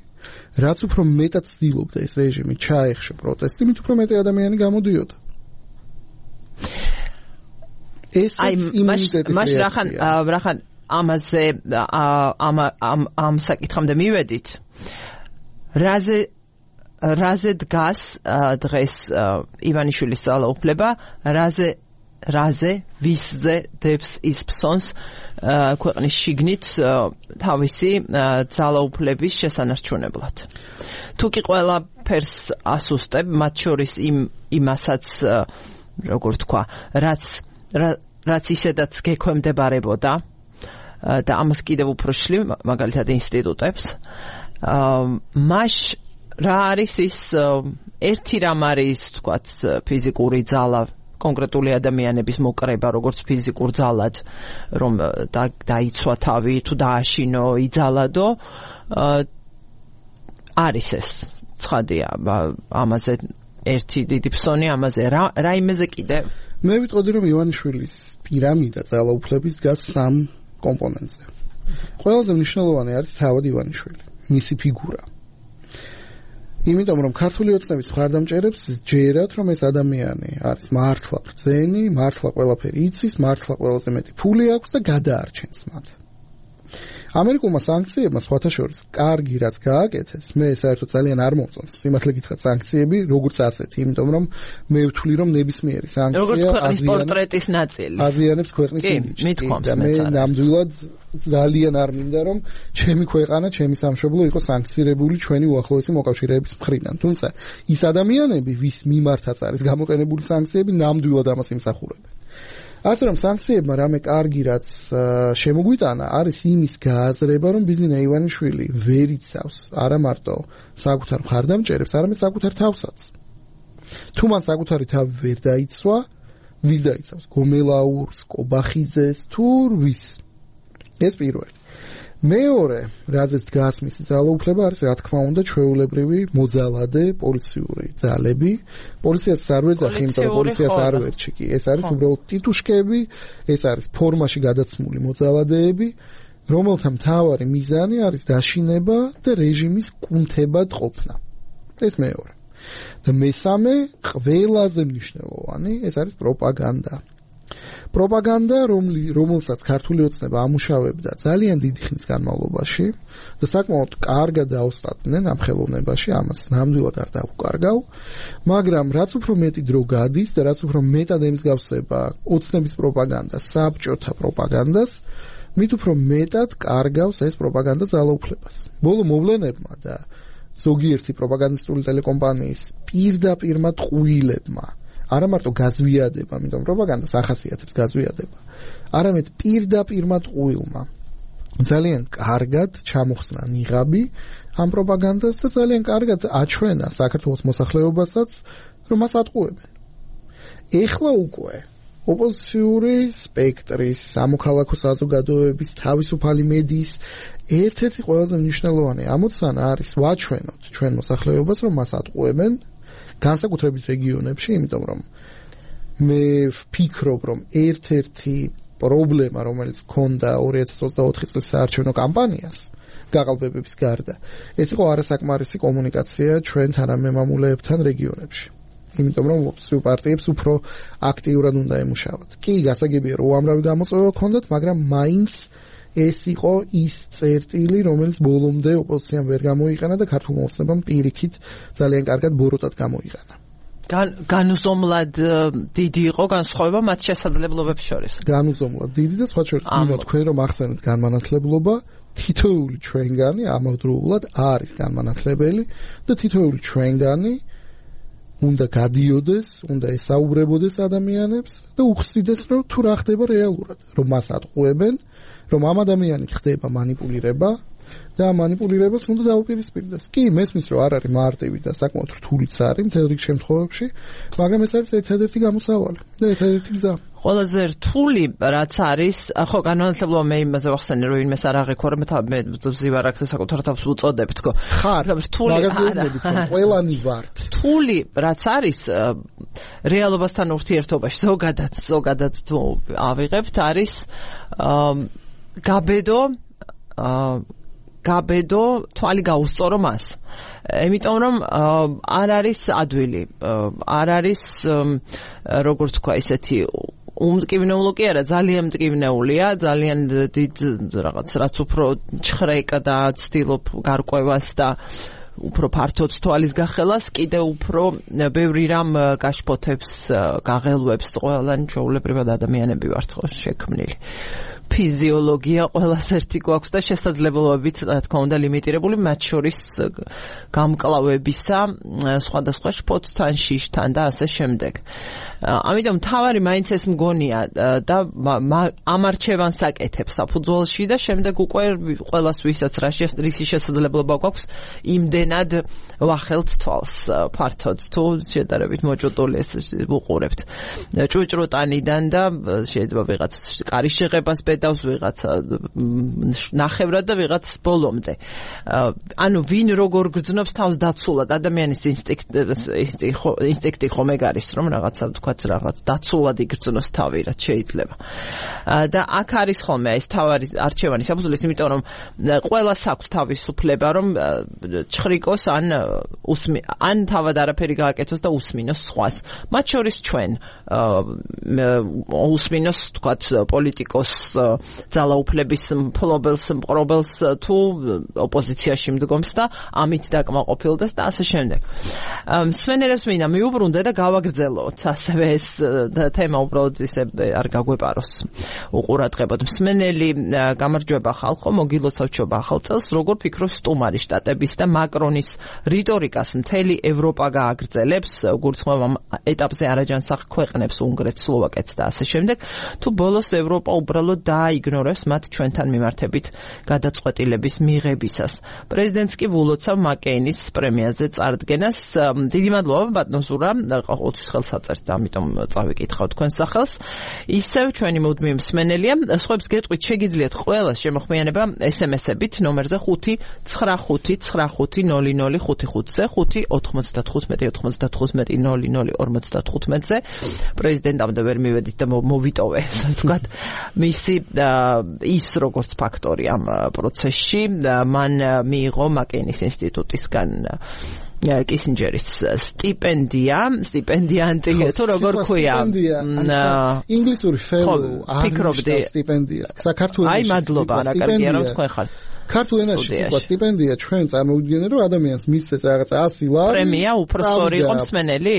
რაც უფრო მეტად ცდილობდა ეს რეჟიმი ჩაეხშო პროტესტი, მით უფრო მეტი ადამიანი გამოდიოდა. ეს იმუნიტეტის რეაქცია. რახან ამაზე ამ საკითხამდე მივედით. რაზე დგას დღეს ივანიშვილის ძალაუფლება, ვისზე დებს ის ფსონს ქვეყნის შიგნით თავისი ძალაუფლების შესანარჩუნებლად. თუ კი ყველაფერს ასუსტებ, მათ შორის იმ იმასაც როგორ თქვა რაც ისედაც გექვემდებარებოდა და ამას კიდევ უფრო შლი მაგალითად ინსტიტუტებს მას რა არის ის ერთი რამ არის თქვათ ფიზიკური ძალა კონკრეტული ადამიანების მოკრება როგორც ფიზიკურ ძალად რომ დაიცვა თავი თუ დააშინო იძალადო არის ეს ცხადია ამაზე ერთი დიდი ფსონი ამაზე რა იმეზე კიდე მე ვიტყოდი რომ ივანიშვილის პირამიდა ძალაუფლების დგას სამ კომპონენტზე ყველაზე მნიშვნელოვანი არის თავად ივანიშვილი მისი ფიგურა იმიტომ რომ ქართული ოცნების მხარდამჭერებს ჯერათ რომ ეს ადამიანი არის მართლა ბრძენი, მართლა ყველაფერი იცის, მართლა ყველაზე მეტი ფული აქვს და გადაარჩენს მათ. ამერიკულმა სანქციებმა სხვათა შორის კარგი რაც გააკეთეს, მე საერთოდ ძალიან არ მომწონს. სიმართლე გითხრათ სანქციები როგორც ასეთი, იმიტომ რომ მე ვთვლი რომ ნებისმიერი სანქცია როგორც ქვეყნის პორტრეტის ნაწილი. აზიანებს ქვეყნის იმიჯს. და მე ნამდვილად ძალიან არ მინდა რომ ჩემი ქვეყანა, ჩემი სამშობლო იყოს სანქცირებული ჩვენი უახლოესი მოკავშირეების მხრიდან. თუმცა ის ადამიანები, ვის მიმართაც არის გამოყენებული სანქციები, ნამდვილად ამას იმსახურებენ. ასე რომ სანქციებმა რამე კარგი რაც შემოგვიტანა არის იმის გააზრება რომ ბიზნესა ივანიშვილი ვერ იცავს არა მარტო საკუთარ მხარდამჭერებს არამედ საკუთარ თავსაც თუ მან საკუთარი თავი ვერ დაიცვა ვის დაიცავს გომელაურს კობახიძეს თუ ვის ეს პირველი მეორე რაზეც დგას მისი ძალაუფლება არის რა თქმა უნდა ჩვეულებრივი მოძალადე პოლიციური ძალები პოლიციას არ ვეძახი იმიტომ რომ პოლიციას არ ვერჩი კი ეს არის უბრალოდ ტიტუშკები ეს არის ფორმაში გადაცმული მოძალადეები რომელთა მთავარი მიზანი არის დაშინება და რეჟიმის კუნთებად ყოფნა ეს მეორე და მესამე ყველაზე მნიშვნელოვანი ეს არის პროპაგანდა პროპაგანდა რომელსაც ქართული ოცნება ამუშავებდა ძალიან დიდი ხნის განმავლობაში და საკმაოდ კარგად დაუსტატნენ ამ ხელოვნებაში ამას ნამდვილად არ დავუკარგავ მაგრამ რაც უფრო მეტი დრო გადის და რაც უფრო მეტად ემსგავსება ოცნების პროპაგანდა საბჭოთა პროპაგანდას მით უფრო მეტად კარგავს ეს პროპაგანდა ძალაუფლებას ბოლო მოვლენებმა და ზოგიერთი პროპაგანდისტული ტელეკომპანიის პირდაპირმა ტყუილებმა არა მარტო გაზვიადება, იმიტომ პროპაგანდას ახასიათებს გაზვიადება. არამედ პირდაპირმა ტყუილმა ძალიან კარგად ჩამოხსნა ნიღაბი ამ პროპაგანდას და ძალიან კარგად აჩვენა საქართველოს მოსახლეობასაც, რომ მას ატყუებენ. ეხლა უკვე ოპოზიციური სპექტრის, სამოქალაქო საზოგადოების, თავისუფალი მედიის ერთ-ერთი ყველაზე მნიშვნელოვანი ამოცანა არის ვაჩვენოთ ჩვენ მოსახლეობას, რომ მას ატყუებენ განსაკუთრებით რეგიონებში, იმიტომ რომ მე ვფიქრობ, რომ ერთ-ერთი პრობლემა, რომელიც ჰქონდა 2024 წლის საარჩევნო კამპანიას, გაყალბებების გარდა, ეს იყო არასაკმარისი კომუნიკაცია ჩვენ თანამემამულეებთან რეგიონებში. იმიტომ რომ ოპოზიციურ პარტიებს უფრო აქტიურად უნდა ემუშავოთ. კი, გასაგებია, რომ უამრავი გამოწვევა ჰქონდათ, მაგრამ მაინც ეს იყო ის წერტილი, რომელიც ბოლომდე ოპოზიციამ ვერ გამოიყენა და ქართულ მოხსნებამ პირიქით ძალიან კარგად ბოროტად გამოიყენა. განუზომლად დიდი იყო განსხვავება მათ შესაძლებლობებს შორის. განუზომლად დიდი და სხვა შორის მინდა თქვენ რომ ახსენეთ განმანათლებლობა, თითოეული ჩვენგანი ამავდროულად არის განმანათლებელი და თითოეული ჩვენგანი უნდა გადიოდეს, უნდა ესაუბრებოდეს ადამიანებს და უხსნიდეს რომ თუ რა ხდება რეალურად, რომ მას ატყუებენ რომ ამ ადამიანით ხდება манипуლირება და ამ манипуლირებას უნდა დაუპირისპირდეს. კი, მესმის რომ არ არის მარტივი და საკმაოდ რთულიც არის მთელ რიგ შემთხვევებში, მაგრამ ეს არის ერთადერთი გამოსავალი და ერთადერთი გზა. ყველაზე რთული რაც არის, ხო, განმანათლებლობა მე იმაზე ვახსენე, რომ იმეს არ აღიქვა, მე ზივარაკზე საკუთარ თავს უწოდებ თქო. ხარ, რთული არა. ყველანი ვართ. რთული რაც არის რეალობასთან ურთიერთობაში ზოგადად თუ ავიღებთ არის გაბედო თვალი გაუსწორო მას. იმიტომ რომ არ არის ადვილი, არ არის როგორც თქვა ისეთი უმტკივნეულო კი არა, ძალიან მტკივნეულია, ძალიან დიდ რაღაც რაც უფრო ჩხრეკ და ცდილობ გარკვევას და უფრო ფართოდ თვალის გახელას, კიდე უფრო ბევრი რამ გაშფოთებს, გაღელვებს, ყველანი ჩვეულებრივად ადამიანები ვართ ხო შექმნილი. ფიზიოლოგია ყველას ერთი გვაქვს და შესაძლებლობებიც რა თქმა უნდა ლიმიტირებული, მათ შორის გამკლავებისა, სხვადასხვა შფოთთან, შიშთან და ასე შემდეგ. ამიტომ თავარი მაინც ეს მგონია და ამ არჩევანს აკეთებს საფუძველში და შემდეგ უკვე ყველას ვისაც რისი შესაძლებლობა გვაქვს იმდენად ვახელთ თვალს ფართოდ თუ შედარებით მოჭუტული ეს ვუყურებთ ჭუჭრუტანიდან და შეიძლება ვიღაც კარის შეღებას პედავს ვიღაც ნახევრად და ვიღაც ბოლომდე ანუ ვინ როგორ გრძნობს თავს დაცულად ადამიანის ინსტინქტი ხომ ეგ არის რომ რაღაცა თქვა რაღაც დაცულად იგრძნოს თავი რაც შეიძლება და აქ არის ხოლმე ეს თავარი არჩევანი საფუძვლის იმიტომ რომ ყველას აქვს თავისუფლება რომ ჩხრიკოს ან თავად არაფერი გააკეთოს და უსმინოს სხვას მათ შორის ჩვენ უსმინოს თქვა პოლიტიკოს ძალაუფლების მფლობელს მყრობელს თუ ოპოზიციაში მდგომს და ამით დაკმაყოფილდეს და ასე შემდეგ მსმენელებს მინდა მიუბრუნდე და გავაგრძელოთ ასევე ეს თემა უბრალოდ ისე არ გაგვეპაროს უყურადღებოდ მსმენელი გამარჯვება ხალხო მოგილოცავ ჩობა ახალ წელს როგორ ფიქრობს სტუმარი შტატების და მაკრონის რიტორიკას მთელი ევროპა გააგრძელებს გულისხმობ ამ ეტაპზე არაჯანსაღ ქვეყნებს უნგრეთს სლოვაკეთს და ასე შემდეგ თუ ბოლოს ევროპა უბრალოდ დააიგნორებს მათ ჩვენთან მიმართებით გადაწყვეტილების მიღებისას პრეზიდენტს კი ვულოცავ მაკეინის პრემიაზე წარდგენას დიდი მადლობა ბატონ ზურა ყოველთვის ხელსაწერს და ამიტომ წავიკითხავ თქვენს სახელს ისევ ჩვენი მუდმივი მსმენელია სხვებს გეტყვით შეგიძლიათ ყველა შემოხმიანება SMS-ებით ნომერზე 595-95-0055-ზე 5-95-95-0055-ზე პრეზიდენტამდე ვერ მივედით და მოვიტოვე ასე ვთქვათ მისი ის როგორც ფაქტორი ამ პროცესში მან მიიღო მაკეინის ინსტიტუტისგან კისინჯერის სტიპენდიანტი თუ როგორ ქვია ინგლისური fellow ფიქრობდი სტიპენდია საქართველოს აი მადლობა რა კარგია რომ თქვენ ხართ ქართულ ენაში თქვა სტიპენდია ჩვენ წარმოვიდგენთ რომ ადამიანს მისცეს რაღაცა 100 ლარი პრემია უფრო სწორი იყო მსმენელი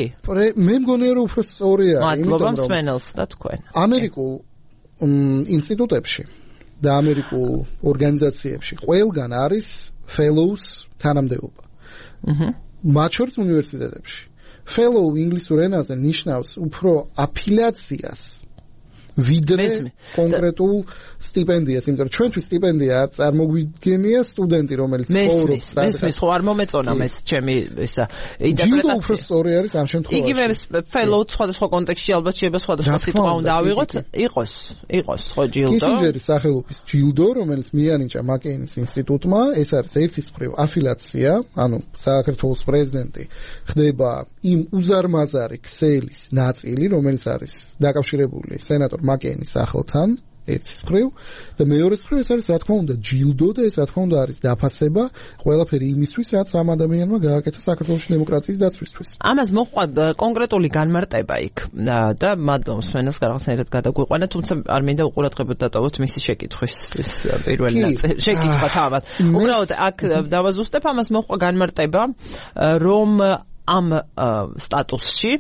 მე მგონია რომ უფრო სწორია მადლობა მსმენელს და თქვენ ამერიკულ ინსტიტუტებში და ამერიკულ ორგანიზაციებში ყველგან არის fellows თანამდებობა მათ შორის უნივერსიტეტებში fellow ინგლისურ ენაზე ნიშნავს უფრო აფილიაციას ვიდრე კონკრეტულ სტიპენდიას, იმიტომ რომ ჩვენთვის სტიპენდია წარმოგვიდგენია სტუდენტი, რომელიც ცხოვრობს. მესმის ხო არ მომეწონა ეს ჩემი ისა ინტერპრეტაცია. უფრო სწორი არის ამ შემთხვევაში. იგივე fellow სხვადასხვა კონტექსტში ალბათ შეიძლება სხვადასხვა სიტყვა უნდა ავიღოთ, იყოს ხო ჯილდო. კისინჯერის სახელობის ჯილდო, რომელიც მიანიჭა მაკეინის ინსტიტუტმა, ეს არის ერთის მხრივ აფილიაცია, ანუ საქართველოს პრეზიდენტი ხდება იმ უზარმაზარი ქსელის ნაწილი, რომელიც არის დაკავშირებული სენატორ მაკეინის სახელთან ერთის მხრივ და მეორეს მხრივ ეს არის რა თქმა უნდა ჯილდო და ეს რა თქმა უნდა არის დაფასება ყველაფერი იმისთვის რაც ამ ადამიანმა გააკეთა საქართველოს დემოკრატიის დაცვისთვის. ამას მოყვა კონკრეტული განმარტება იქ და მადლობა მსმენელს რაღაცნაირად გადაგვიყვანა, თუმცა არ მინდა უყურადღებოდ დატოვოთ მისი შეკითხვის პირველი ნაწილი. შეკითხვა თავად. უბრალოდ აქ დავაზუსტებ ამას მოყვა განმარტება რომ ამ სტატუსში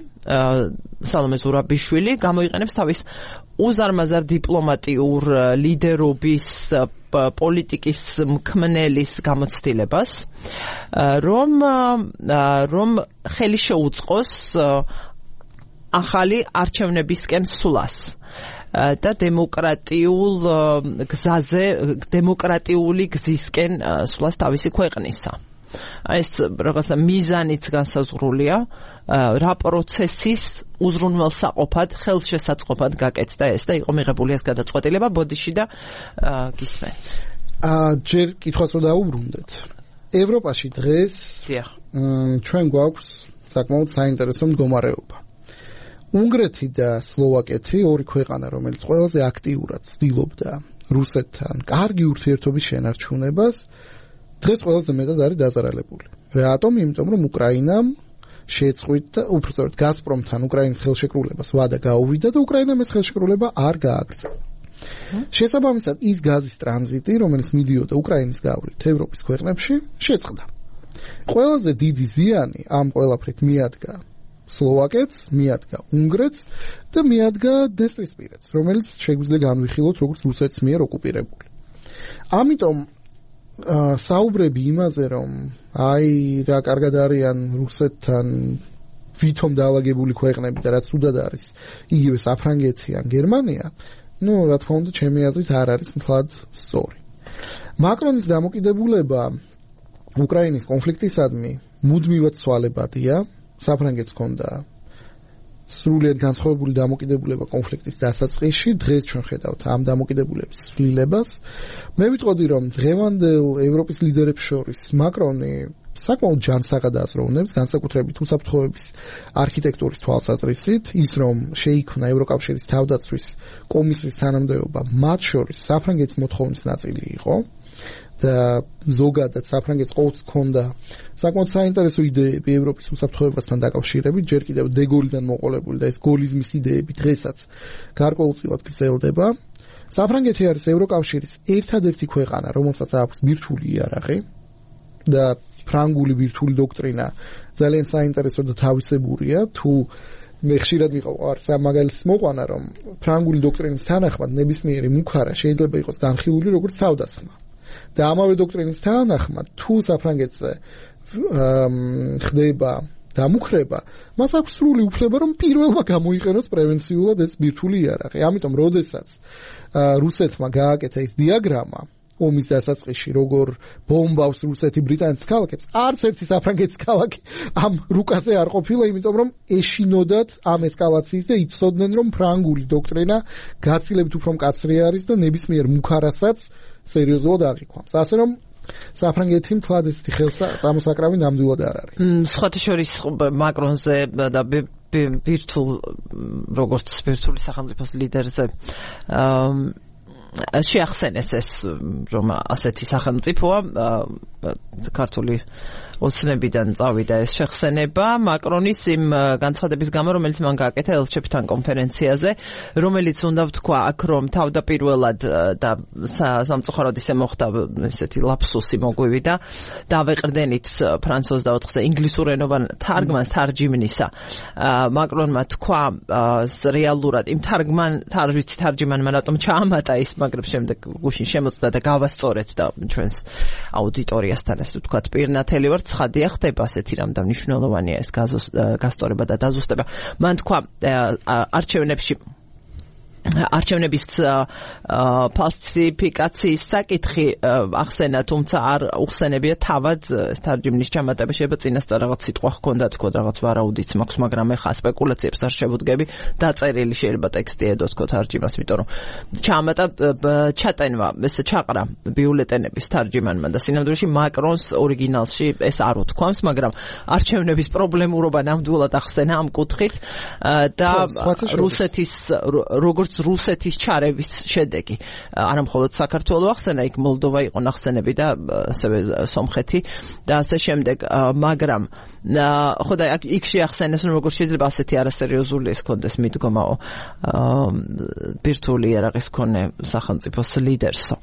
სალომე ზურაბიშვილი გამოიყენებს თავის უზარმაზარ დიპლომატიურ ლიდერობის პოლიტიკის მქმნელის გამოცდილებას რომ ხელი შეუწყოს ახალი არჩევნებისკენ სვლას და დემოკრატიული გზისკენ სვლას თავისი ქვეყნისა. ეს რაღაცა მიზანიც განსაზღვრულია რა პროცესის უზრუნველსაყოფად ხელშესაწყობად გაკეთდა ეს და იყო მიღებული ეს გადაწყვეტილება ბოდიში და გისმენთ. ჯერ კითხვას რომ დაუბრუნდეთ. ევროპაში დღეს ჩვენ გვაქვს საკმაოდ საინტერესო მდგომარეობა. უნგრეთი და სლოვაკეთი ორი ქვეყანა რომელიც ყველაზე აქტიურად ცდილობდა რუსეთთან კარგი ურთიერთობის შენარჩუნებას დღეს ყველაზე მეტად არის დაზარალებული. რატომ? იმიტომ რომ უკრაინამ შეწყვიტა, უბრალოდ გაზპრომთან უკრაინის ხელშეკრულებას ვადა გაუვიდა და უკრაინამ ეს ხელშეკრულება არ გააგრძელა. შესაბამისად, ის გაზის ტრანზიტი, რომელიც მიდიოდა უკრაინის გავლით ევროპის ქვეყნებში, შეწყდა. ყველაზე დიდი ზიანი ამ ყველაფრით მიადგა სლოვაკეთს, მიადგა უნგრეთს და მიადგა დესპოტისპირეთს, რომელიც შეგვიძლია განვიხილოთ როგორც რუსეთის მიერ ოკუპირებული. ამიტომ საუბრები იმაზე, რომ აი რა კარგად არიან რუსეთთან ვითომ დაალაგებული ქვეყნები და რაც უდად არის იგივე საფრანგეთი ან გერმანია, რა თქმა უნდა, ჩემი აზრით არ არის მთლად სწორი. მაკრონის დამოკიდებულება უკრაინის კონფლიქტისადმი მუდმივად ცვალებადია. საფრანგეთს ჰქონდა სრულიად განსხვავებული დამოკიდებულება კონფლიქტის დასაწყისში, დღეს ჩვენ ხედავთ ამ დამოკიდებულების ცვლილებას. მე ვიტყოდი, რომ დღევანდელ ევროპის ლიდერებს შორის მაკრონი საკმაოდ ჯანსაღად აზროვნებს, განსაკუთრებით უსაფრთხოების არქიტექტურის თვალსაზრისით, ის რომ შეიქმნა ევროკავშირის თავდაცვის კომისიის თანამდებობა, მათ შორის საფრანგეთის მოთხოვნის ნაწილი იყო. და ზოგადად საფრანგეთს ყოველთვის ჰქონდა საკმაოდ საინტერესო იდეები ევროპის უსაფრთხოებასთან დაკავშირებით, ჯერ კიდევ დეგოლიდან მოყოლებული და ეს გოლიზმის იდეები დღესაც გარკვეულწილად გრძელდება. საფრანგეთი არის ევროკავშირის ერთადერთი ქვეყანა, რომელსაც აქვს ბირთვული იარაღი და ფრანგული ბირთვული დოქტრინა ძალიან საინტერესო და თავისებურია. თუ მე ხშირად მიყვარს ამ მაგალითს მოყვანა, რომ ფრანგული დოქტრინის თანახმად ნებისმიერი მუქარა შეიძლება იყოს განხილული როგორც თავდასხმა. და ამავე დოქტრინის თანახმად, თუ საფრანგეთზე ხდება დამუხრება, მას აქვს სრული უფლება, რომ პირველმა გამოიყენოს პრევენციულად ეს ბირთვული იარაღი. ამიტომ, როდესაც რუსეთმა გააკეთა ეს დიაგრამა ომის დასაწყისში, როგორ ბომბავს რუსეთი ბრიტანეთის ქალაქებს, არც ერთი საფრანგეთის ქალაქი ამ რუკაზე არ ყოფილა, იმიტომ რომ ეშინოდათ ამ ესკალაციის და იცოდნენ, რომ ფრანგული დოქტრინა გაცილებით უფრო მკაცრი არის და ნებისმიერ მუქარასაც სერიოზულად აღიქვამს. ასე რომ საფრანგეთი მთლად ესეთი ხელსამოსაკრავი ნამდვილად არ არის. სხვათა შორის მაკრონზე და ბირთვულ როგორც ბირთვული სახელმწიფოს ლიდერზე შეახსენეს ეს, რომ ასეთი სახელმწიფოა ქართული ოცნებიდან წავიდა ეს შეხსენება მაკრონის იმ განცხადების გამო, რომელიც მან გააკეთა ელჩებთან კონფერენციაზე, რომელიც უნდა ვთქვა აქ, რომ თავდაპირველად და სამწუხაროდ ისე მოხდა ესეთი ლაფსუსი მოგვივი და დავეყრდენით ფრანცუზ და 4-ზე ინგლისურენოვან თარგმანს თარჯიმნისა. მაკრონმა თქვა რეალურად იმ თარჯიმანმა რატომ ჩაამატა ის, მაგრამ შემდეგ გუშინ შემოწდა და გავასწორეთ და ჩვენს აუდიტორიასთან ეს ვთქვათ პირნათელი ვარ, ცხადია ხდება ასეთი რამ და მნიშვნელოვანია ეს გასწორება და დაზუსტება. მან თქვა არჩევნების ფალსიფიკაციის საკითხი ახსენა, თუმცა არ უხსენებია თავად თარჯიმნის ჩამატება. შეიძლება წინასწარ რაღაც სიტყვა ჰქონდა, თქო რაღაც ვარაუდიც მაქვს, მაგრამ ეხა სპეკულაციებს არ შევუდგები. დაწერილი შეიძლება ტექსტი ედო თქო თარჯიმას, იმიტომ რომ ჩამატა ჩატენვა, ეს ჩაყრა ბიულეტენების თარჯიმანმა და სინამდვილეში მაკრონს ორიგინალში ეს არ უთქვამს, მაგრამ არჩევნების პრობლემურობა ნამდვილად ახსენა ამ კუთხით და რუსეთის ჩარევის შედეგი. არა მხოლოდ საქართველო ახსენა, იქ მოლდოვა იყო ნახსენები და ასევე სომხეთი და ასე შემდეგ, მაგრამ ხო და იქ შეახსენეს, რომ როგორ შეიძლება ასეთი არასერიოზული ეს კონდეს მიდგომაო ბირთვული იარაღის მქონე სახელმწიფოს ლიდერსო.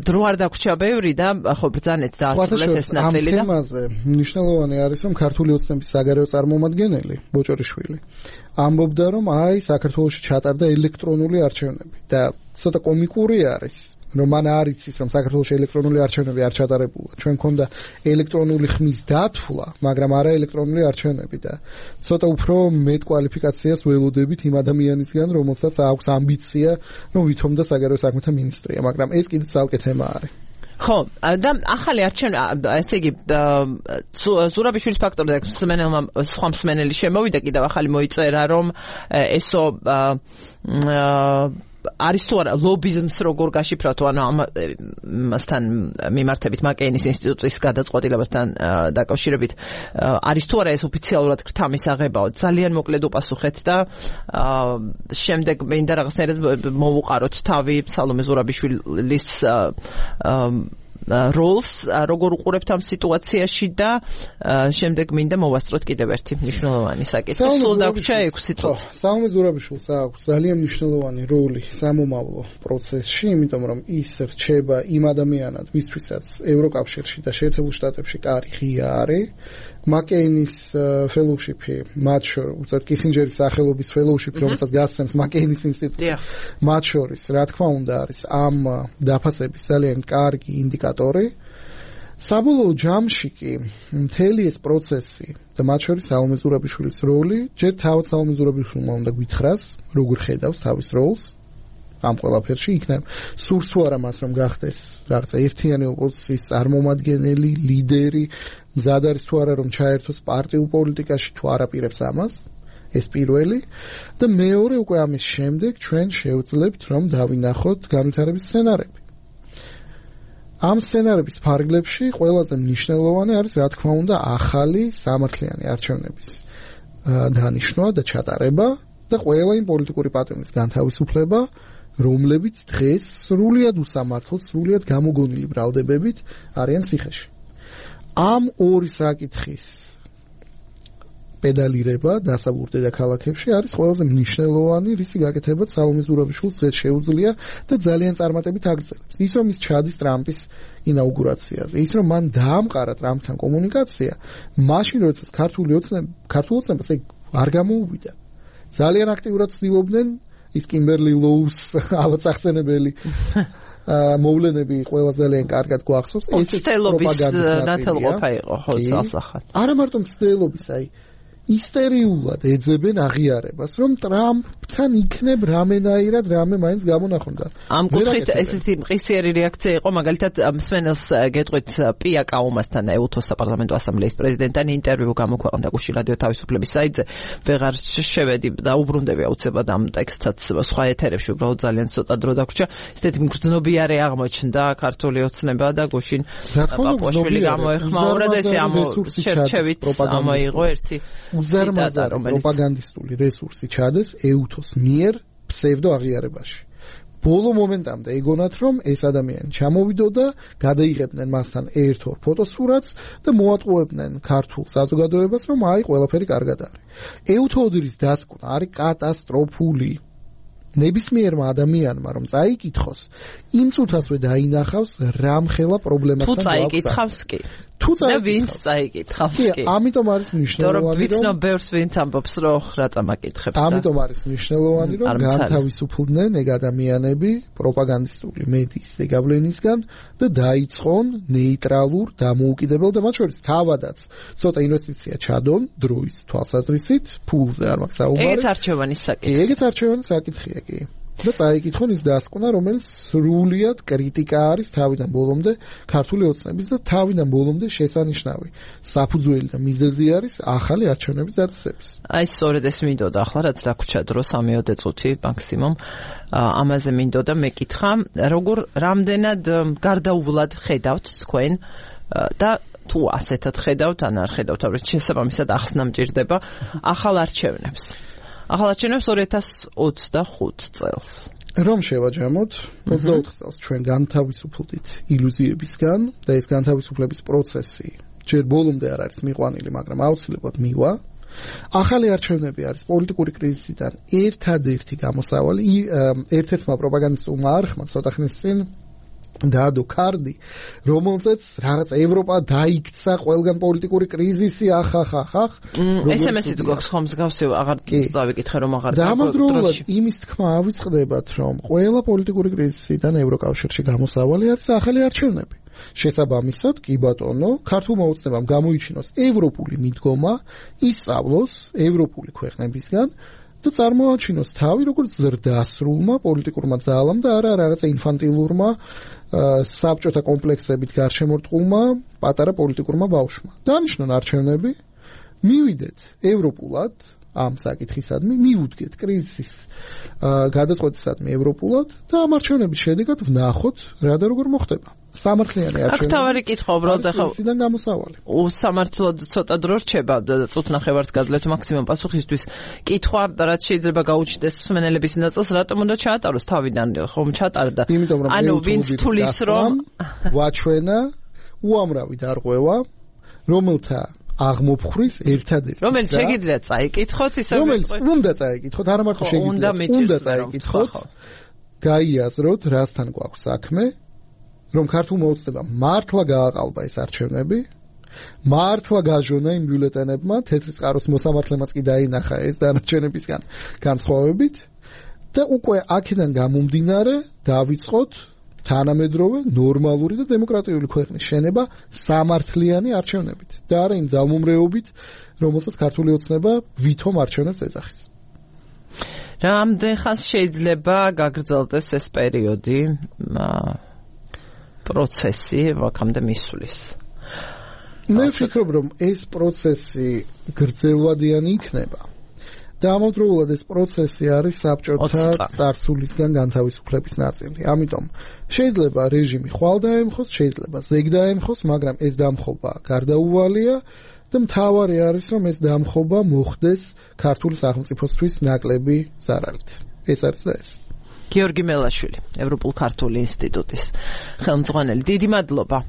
დრო არ დაგვრჩა ბევრი და ხო ბრძანეთ და ასრულეთ ეს ნაწილი და ამ თემაზე მნიშვნელოვანი არის, რომ ქართული ოცნების საგარეო წარმომადგენელი ბოჭორიშვილი ამბობდა, რომ აი საქართველოში ჩატარდა ელექტრონული არჩევნები და ცოტა კომიკური არის, რომ მან არ იცის, რომ საქართველოში ელექტრონული არჩევნები არ ჩატარებულა. ჩვენ მქონდა ელექტრონული ხმის დათვლა, მაგრამ არა ელექტრონული არჩევნები და ცოტა უფრო მეტ კვალიფიკაციას ველოდებით იმ ადამიანისგან, რომელსაც აქვს ამბიცია, რომ ვითომდა საგარეო საქმეთა მინისტრია, მაგრამ ეს კიდე ცალკე თემა არის. ხო, და ახალი არჩევნები, ესე იგი, ზურაბიშვილის ფაქტორი და სხვა მსმენელი შემოვიდა, კიდევ ახალი მოიწერა, რომ ესო არის თუ არა ლობიზმს როგორ გაშიფრავთ, ანუ ამასთან მიმართებით მაკეინის ინსტიტუტის გადაწყვეტილებასთან დაკავშირებით არის თუ არა ეს ოფიციალურად ქრთამისაღებაო. ძალიან მოკლედ უპასუხეთ და შემდეგ მინდა რაღაცნაირად მოვუყაროთ თავი სალომე ზურაბიშვილის როლს, როგორ უყურებთ ამ სიტუაციაში და შემდეგ მინდა მოვასწროთ კიდევ ერთი მნიშვნელოვანი საკითხი. სულ დაგვრჩა 6 წუთი. სალომე ზურაბიშვილს აქვს ძალიან მნიშვნელოვანი როლი სამომავლო პროცესში, იმიტომ რომ ის რჩება იმ ადამიანად, ვისთვისაც ევროკავშირში და შეერთებულ შტატებში კარი ღია არის მაკეინის ფელოუშიპი, მათ შორის უწევთ კისინჯერის სახელობის ფელოუშიპი, რომელსაც გასცემს მაკეინის ინსტიტუტი. მათ შორის, რა თქმა უნდა, არის ამ დაფასების ძალიან კარგი ინდიკატორი. საბოლოო ჯამში კი მთელი ეს პროცესი და მათ შორის სალომე ზურაბიშვილის როლი, ჯერ თავად სალომე ზურაბიშვილმა უნდა გითხრას, როგორ ხედავს თავის როლს ამ ყველაფერში, იქნებ სურს თუ არა მას რომ გახდეს რაღაცა ერთიანი ოპოზიციის წარმომადგენელი, ლიდერი, მზად არის თუ არა რომ ჩაერთოს პარტიულ პოლიტიკაში, თუ არაპირებს ამას, ეს პირველი და მეორე უკვე ამის შემდეგ ჩვენ შევძლებთ რომ დავინახოთ განვითარების სცენარები. ამ სცენარების ფარგლებში ყველაზე მნიშვნელოვანი არის რა თქმა უნდა ახალი სამართლიანი არჩევნების დანიშნვა და ჩატარება და ყველა იმ პოლიტიკური პარტიის განთავისუფლება, რომლებიც დღეს სრულიად უსამართლოდ, სრულიად გამოგონილი ბრალდებებით არიან ციხეში. ამ ორი საკითხის პედალირება დასაბურდე და ქალაქებში არის ყველაზე მნიშვნელოვანი, რისი გაკეთებაც სალომე ზურაბიშვილს დღეს შეუძლია და ძალიან წარმატებით აგრძელებს. ის რომ ის ჩადის ტრამპის ინაუგურაციაზე, ის რომ მან დაამყარა ტრამპთან კომუნიკაცია, მაშინ როდესაც ქართულ ოცნებას არ გამოუვიდა. ძალიან აქტიურად ცდილობდნენ ის კიმბერლი ლოუს ავაცახსენებელი მოვლენები ყველა ძალიან კარგად გვახსოვს. ეს პროპაგანდის ნათელყოფა იყო, ხო, წელსახად. არა მარტო მცდელობის, ისტერიულად ეძებენ აღიარებას, რომ ტრამპთან იქნებ რამენაირად რამე მაინც გამონახონდა. ამ კუთხით ესეთი მყისიერი რეაქცია იყო, მაგალითად მსმენელს გეტყვით პია კაუმასთან ეუთოს საპარლამენტო ასამბლეის პრეზიდენტთან ინტერვიუ გამოქვეყნდა გუში რადიო თავისუფლების საიტზე. ვეღარ შევედი და უბრუნდები აუცილებლად ამ ტექსტსაც სხვა ეთერებში, უბრალოდ ძალიან ცოტა დრო დაგვრჩა. ესეთი მგრძნობიარე აღმოჩნდა ქართული ოცნება და გუშინ პაპუაშვილი გამოეხმაურა და ესე ამ შერჩევით ამოიღო ერთი უზარმაზარი პროპაგანდისტული რესურსი ჩადეს ეუთოს მიერ ფსევდო აღიარებაში. ბოლო მომენტამდე ეგონათ რომ ეს ადამიანი ჩამოვიდოდა, გადაიღებდნენ მასთან ერთ-ორ ფოტოსურათს და მოატყუებდნენ ქართულ საზოგადოებას, რომ ყველაფერი კარგად არის. ეუთოდრის დასკვნა არის კატასტროფული. ნებისმიერმა ადამიანმა რომ წაიკითხოს, იმ წუთასვე დაინახავს რამხელა პრობლემასთან გვაქვს. თუ წაიკითხავს კი. და ვინც წაიკითხავს კი. ამიტომ არის მნიშვნელოვანი რომ ვიცნობ ბევრს ვინც ამბობს რომ რა წამაკითხებს. ამიტომ არის მნიშვნელოვანი რომ განთავისუფლდნენ ეგ ადამიანები პროპაგანდისტული მედიის ზეგავლენისგან და დაიწყონ ნეიტრალურ, დამოუკიდებელ და მათ შორის თავადაც ცოტა ინვესტიცია ჩადონ დროის თვალსაზრისით, ფულზე არ მაქვს საუბარი. ეგეც არჩევანის საკითხია. ეგეც არჩევანის საკითხია კი. და წაიკითხონ ის დასკვნა, რომელიც სრულიად კრიტიკა არის თავიდან ბოლომდე ქართული ოცნების და თავიდან ბოლომდე შესანიშნავი. საფუძველი და მიზეზი არის ახალი არჩევნების დაწესების. სწორედ ეს მინდოდა ახლა რაც დაგვრჩა დრო 3-4 წუთი მაქსიმუმ. ამაზე მინდოდა მეკითხა, როგორ რამდენად გარდაუვლად ხედავთ თქვენ და თუ ასეთად ხედავთ, ან არ ხედავთ, რომ შესაბამისად ახსნა მჭირდება ახალ არჩევნებს. ახალ არჩევნებს 2025 წელს. რომ შევაჯამოთ 24 წელს ჩვენ განთავისუფლდით ილუზიებისგან და ეს განთავისუფლების პროცესი ჯერ ბოლომდე არ არის მიყვანილი, მაგრამ აუცილებლად მივა. ახალი არჩევნები არის პოლიტიკური კრიზისიდან ერთადერთი გამოსავალი. ერთ-ერთმა პროპაგანდისტულმა არხმა ცოტა ხნის წინ დაადო კარდი, რომელზეც რაღაც ევროპა დაიქცა ყველგან პოლიტიკური კრიზისი, ახახახახ. SMS-ით გვაქვს ხომ მსგავსი, აღარ დავიკითხე რომ აღარ დამადროულად იმის თქმა ავიწყდებათ, რომ ყველა პოლიტიკური კრიზისიდან ევროკავშირში გამოსავალი არის ახალი არჩევნები. შესაბამისად, კი ბატონო, ქართულმა ოცნებამ გამოიჩინოს ევროპული მიდგომა, ისწავლოს ევროპული ქვეყნებისგან და წარმოაჩინოს თავი როგორც ზრდასრულმა პოლიტიკურმა ძალამ და არა რაღაცა ინფანტილურმა საბჭოთა კომპლექსებით გარშემორტყულმა პატარა პოლიტიკურმა ბავშვმა. დანიშნონ არჩევნები, მივიდეთ ევროპულად ამ საკითხისადმი, მივუდგეთ კრიზისის გადაწყვეტისადმი ევროპულად და ამ არჩევნების შედეგად ვნახოთ რა და როგორ მოხდება. სამართლიანი არჩევნები. აქ თავარი კითხვა უბრალოდ ახლა ისიდან გამოსავალი. უსამართლოდ ცოტა დრო რჩება, წუთნახევარს გადავლეთ მაქსიმუმ პასუხისთვის. კითხვა, რაც შეიძლება გაუჩნდეს მსმენელების ნაწილს, რატომ უნდა ჩაატაროს თავიდან, ხომ ჩატარდა. ანუ ვინც თulis რომ ვაჩვენა უამრავი დარღვევა, რომელთა აღმოფხვრის ერთადერთი. რომელიც შეგიძლიათ წაიკითხოთ, ისე რომელიც უნდა წაიკითხოთ, არა მარტო შეგიძლიათ, უნდა წაიკითხოთ. გაიაზროთ, რასთან გვაქვს საქმე. რომ ქართულმა ოცნებამ მართლა გააყალბა ეს არჩევნები მართლა გაჟონა იმ ბიულეტენებმა, თეთრი წყაროს მოსამართლემაც კი დაინახა ეს დანარჩენებისგან განსხვავებით და უკვე აქედან გამომდინარე დავიწყოთ თანამედროვე ნორმალური და დემოკრატიული ქვეყნის შენება სამართლიანი არჩევნებით და არა იმ ძალმომრეობით, რომელსაც ქართული ოცნება ვითომ არჩევნებს ეძახის. რამდენ ხანს შეიძლება გაგრძელდეს ეს პერიოდი, პროცესი აქამდე მისვლის? მე ვფიქრობ, რომ ეს პროცესი გრძელვადიანი იქნება. და ამავდროულად ეს პროცესი არის საბჭოთა წარსულისგან განთავისუფლების ნაწილი. ამიტომ შეიძლება რეჟიმი ხვალ დაემხოს, შეიძლება ზეგ დაემხოს, მაგრამ ეს დამხობა გარდაუვალია და მთავარი არის, რომ ეს დამხობა მოხდეს ქართული სახელმწიფოსთვის ნაკლები ზარალით. ეს არის და ეს. გიორგი მელაშვილი, ევროპულ-ქართული ინსტიტუტის ხელმძღვანელი. დიდი მადლობა.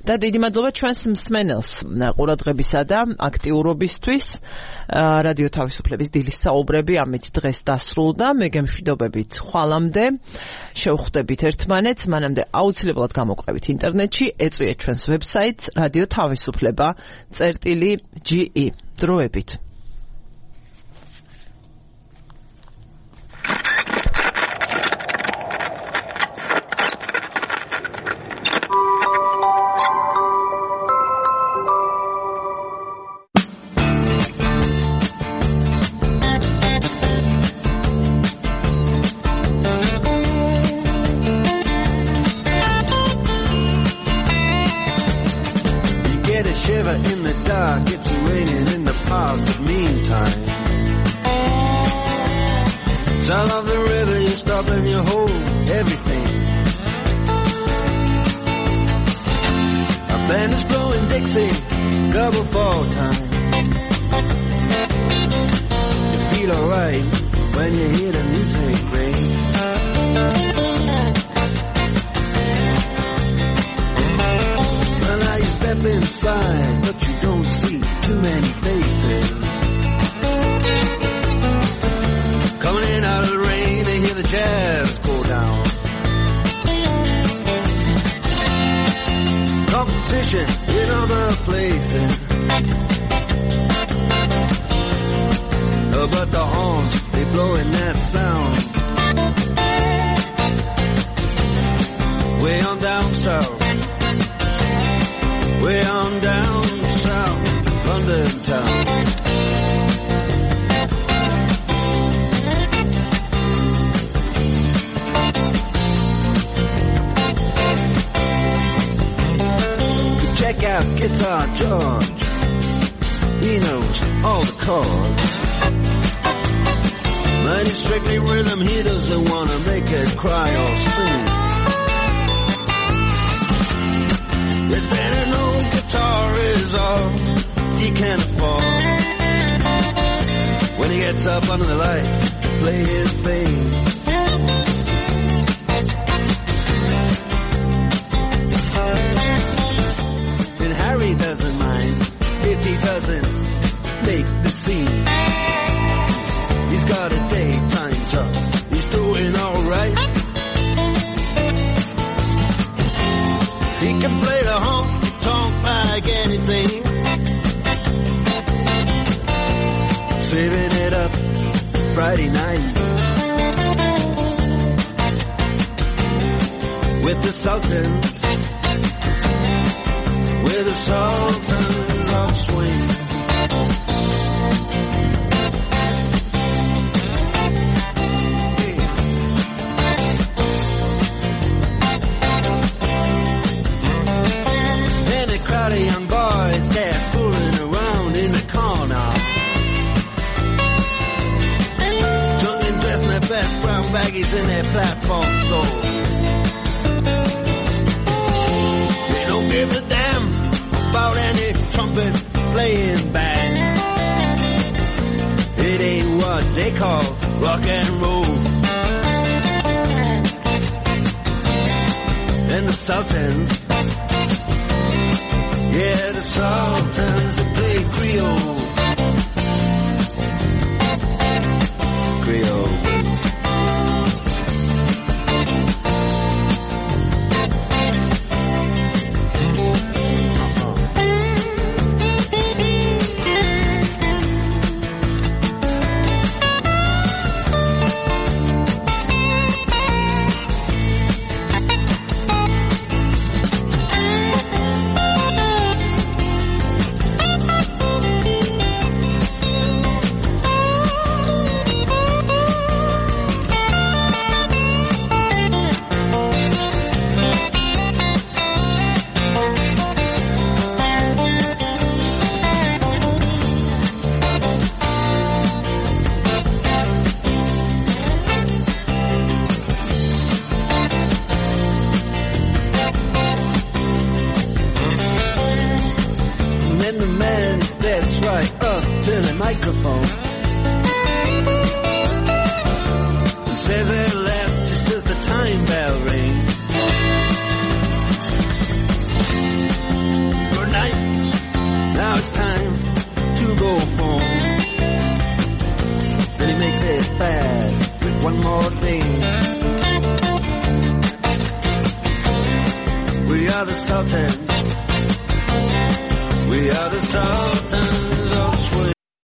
და დიდი მადლობა ჩვენს მსმენელს ყურადღებისა და აქტიურობისთვის. რადიო თავისუფლების დილის საუბრები ამით დღეს დასრულდა. მე გემშვიდობებით ხვალამდე. შევხვდებით ერთმანეთს, მანამდე აუცილებლად გამოყვებით ინტერნეტში, ეწვიეთ ჩვენს ვებსაიტს radiotavisupleba.ge. დროებით. In the dark, it's raining in the park, but meantime, sound of the river, you stop and you hold everything. A band is blowing Dixie, double fall time. You feel alright when you hear the music ring. Step inside, but you don't see too many faces. Coming in out of the rain, they hear the jazz go down. Competition in other places. But the horns, they blowing that sound. Way on down south. Way on down south, London town. Check out Guitar George. He knows all the chords. But he's strictly rhythm, he doesn't want to make it cry or sing. If any old guitar is all he can afford, when he gets up under the lights to play his thing. And Harry doesn't mind if he doesn't make the scene. He's got a daytime job, he's doing alright. He can play the honky-tonk like anything, saving it up Friday night with the Sultans, with the Sultans of Swing. Young boys, they're fooling around in the corner, drunken dressed in their best brown baggies in their platform soles. They don't give a damn about any trumpet playing band. It ain't what they call rock and roll. And the Sultans, yeah, the Sultans, they play Creole. Creole. up to the microphone and say their last just as the time bell rings. Good night, now it's time to go home. Then he makes it fast with one more thing. We are the Sultans. We are the Sultans of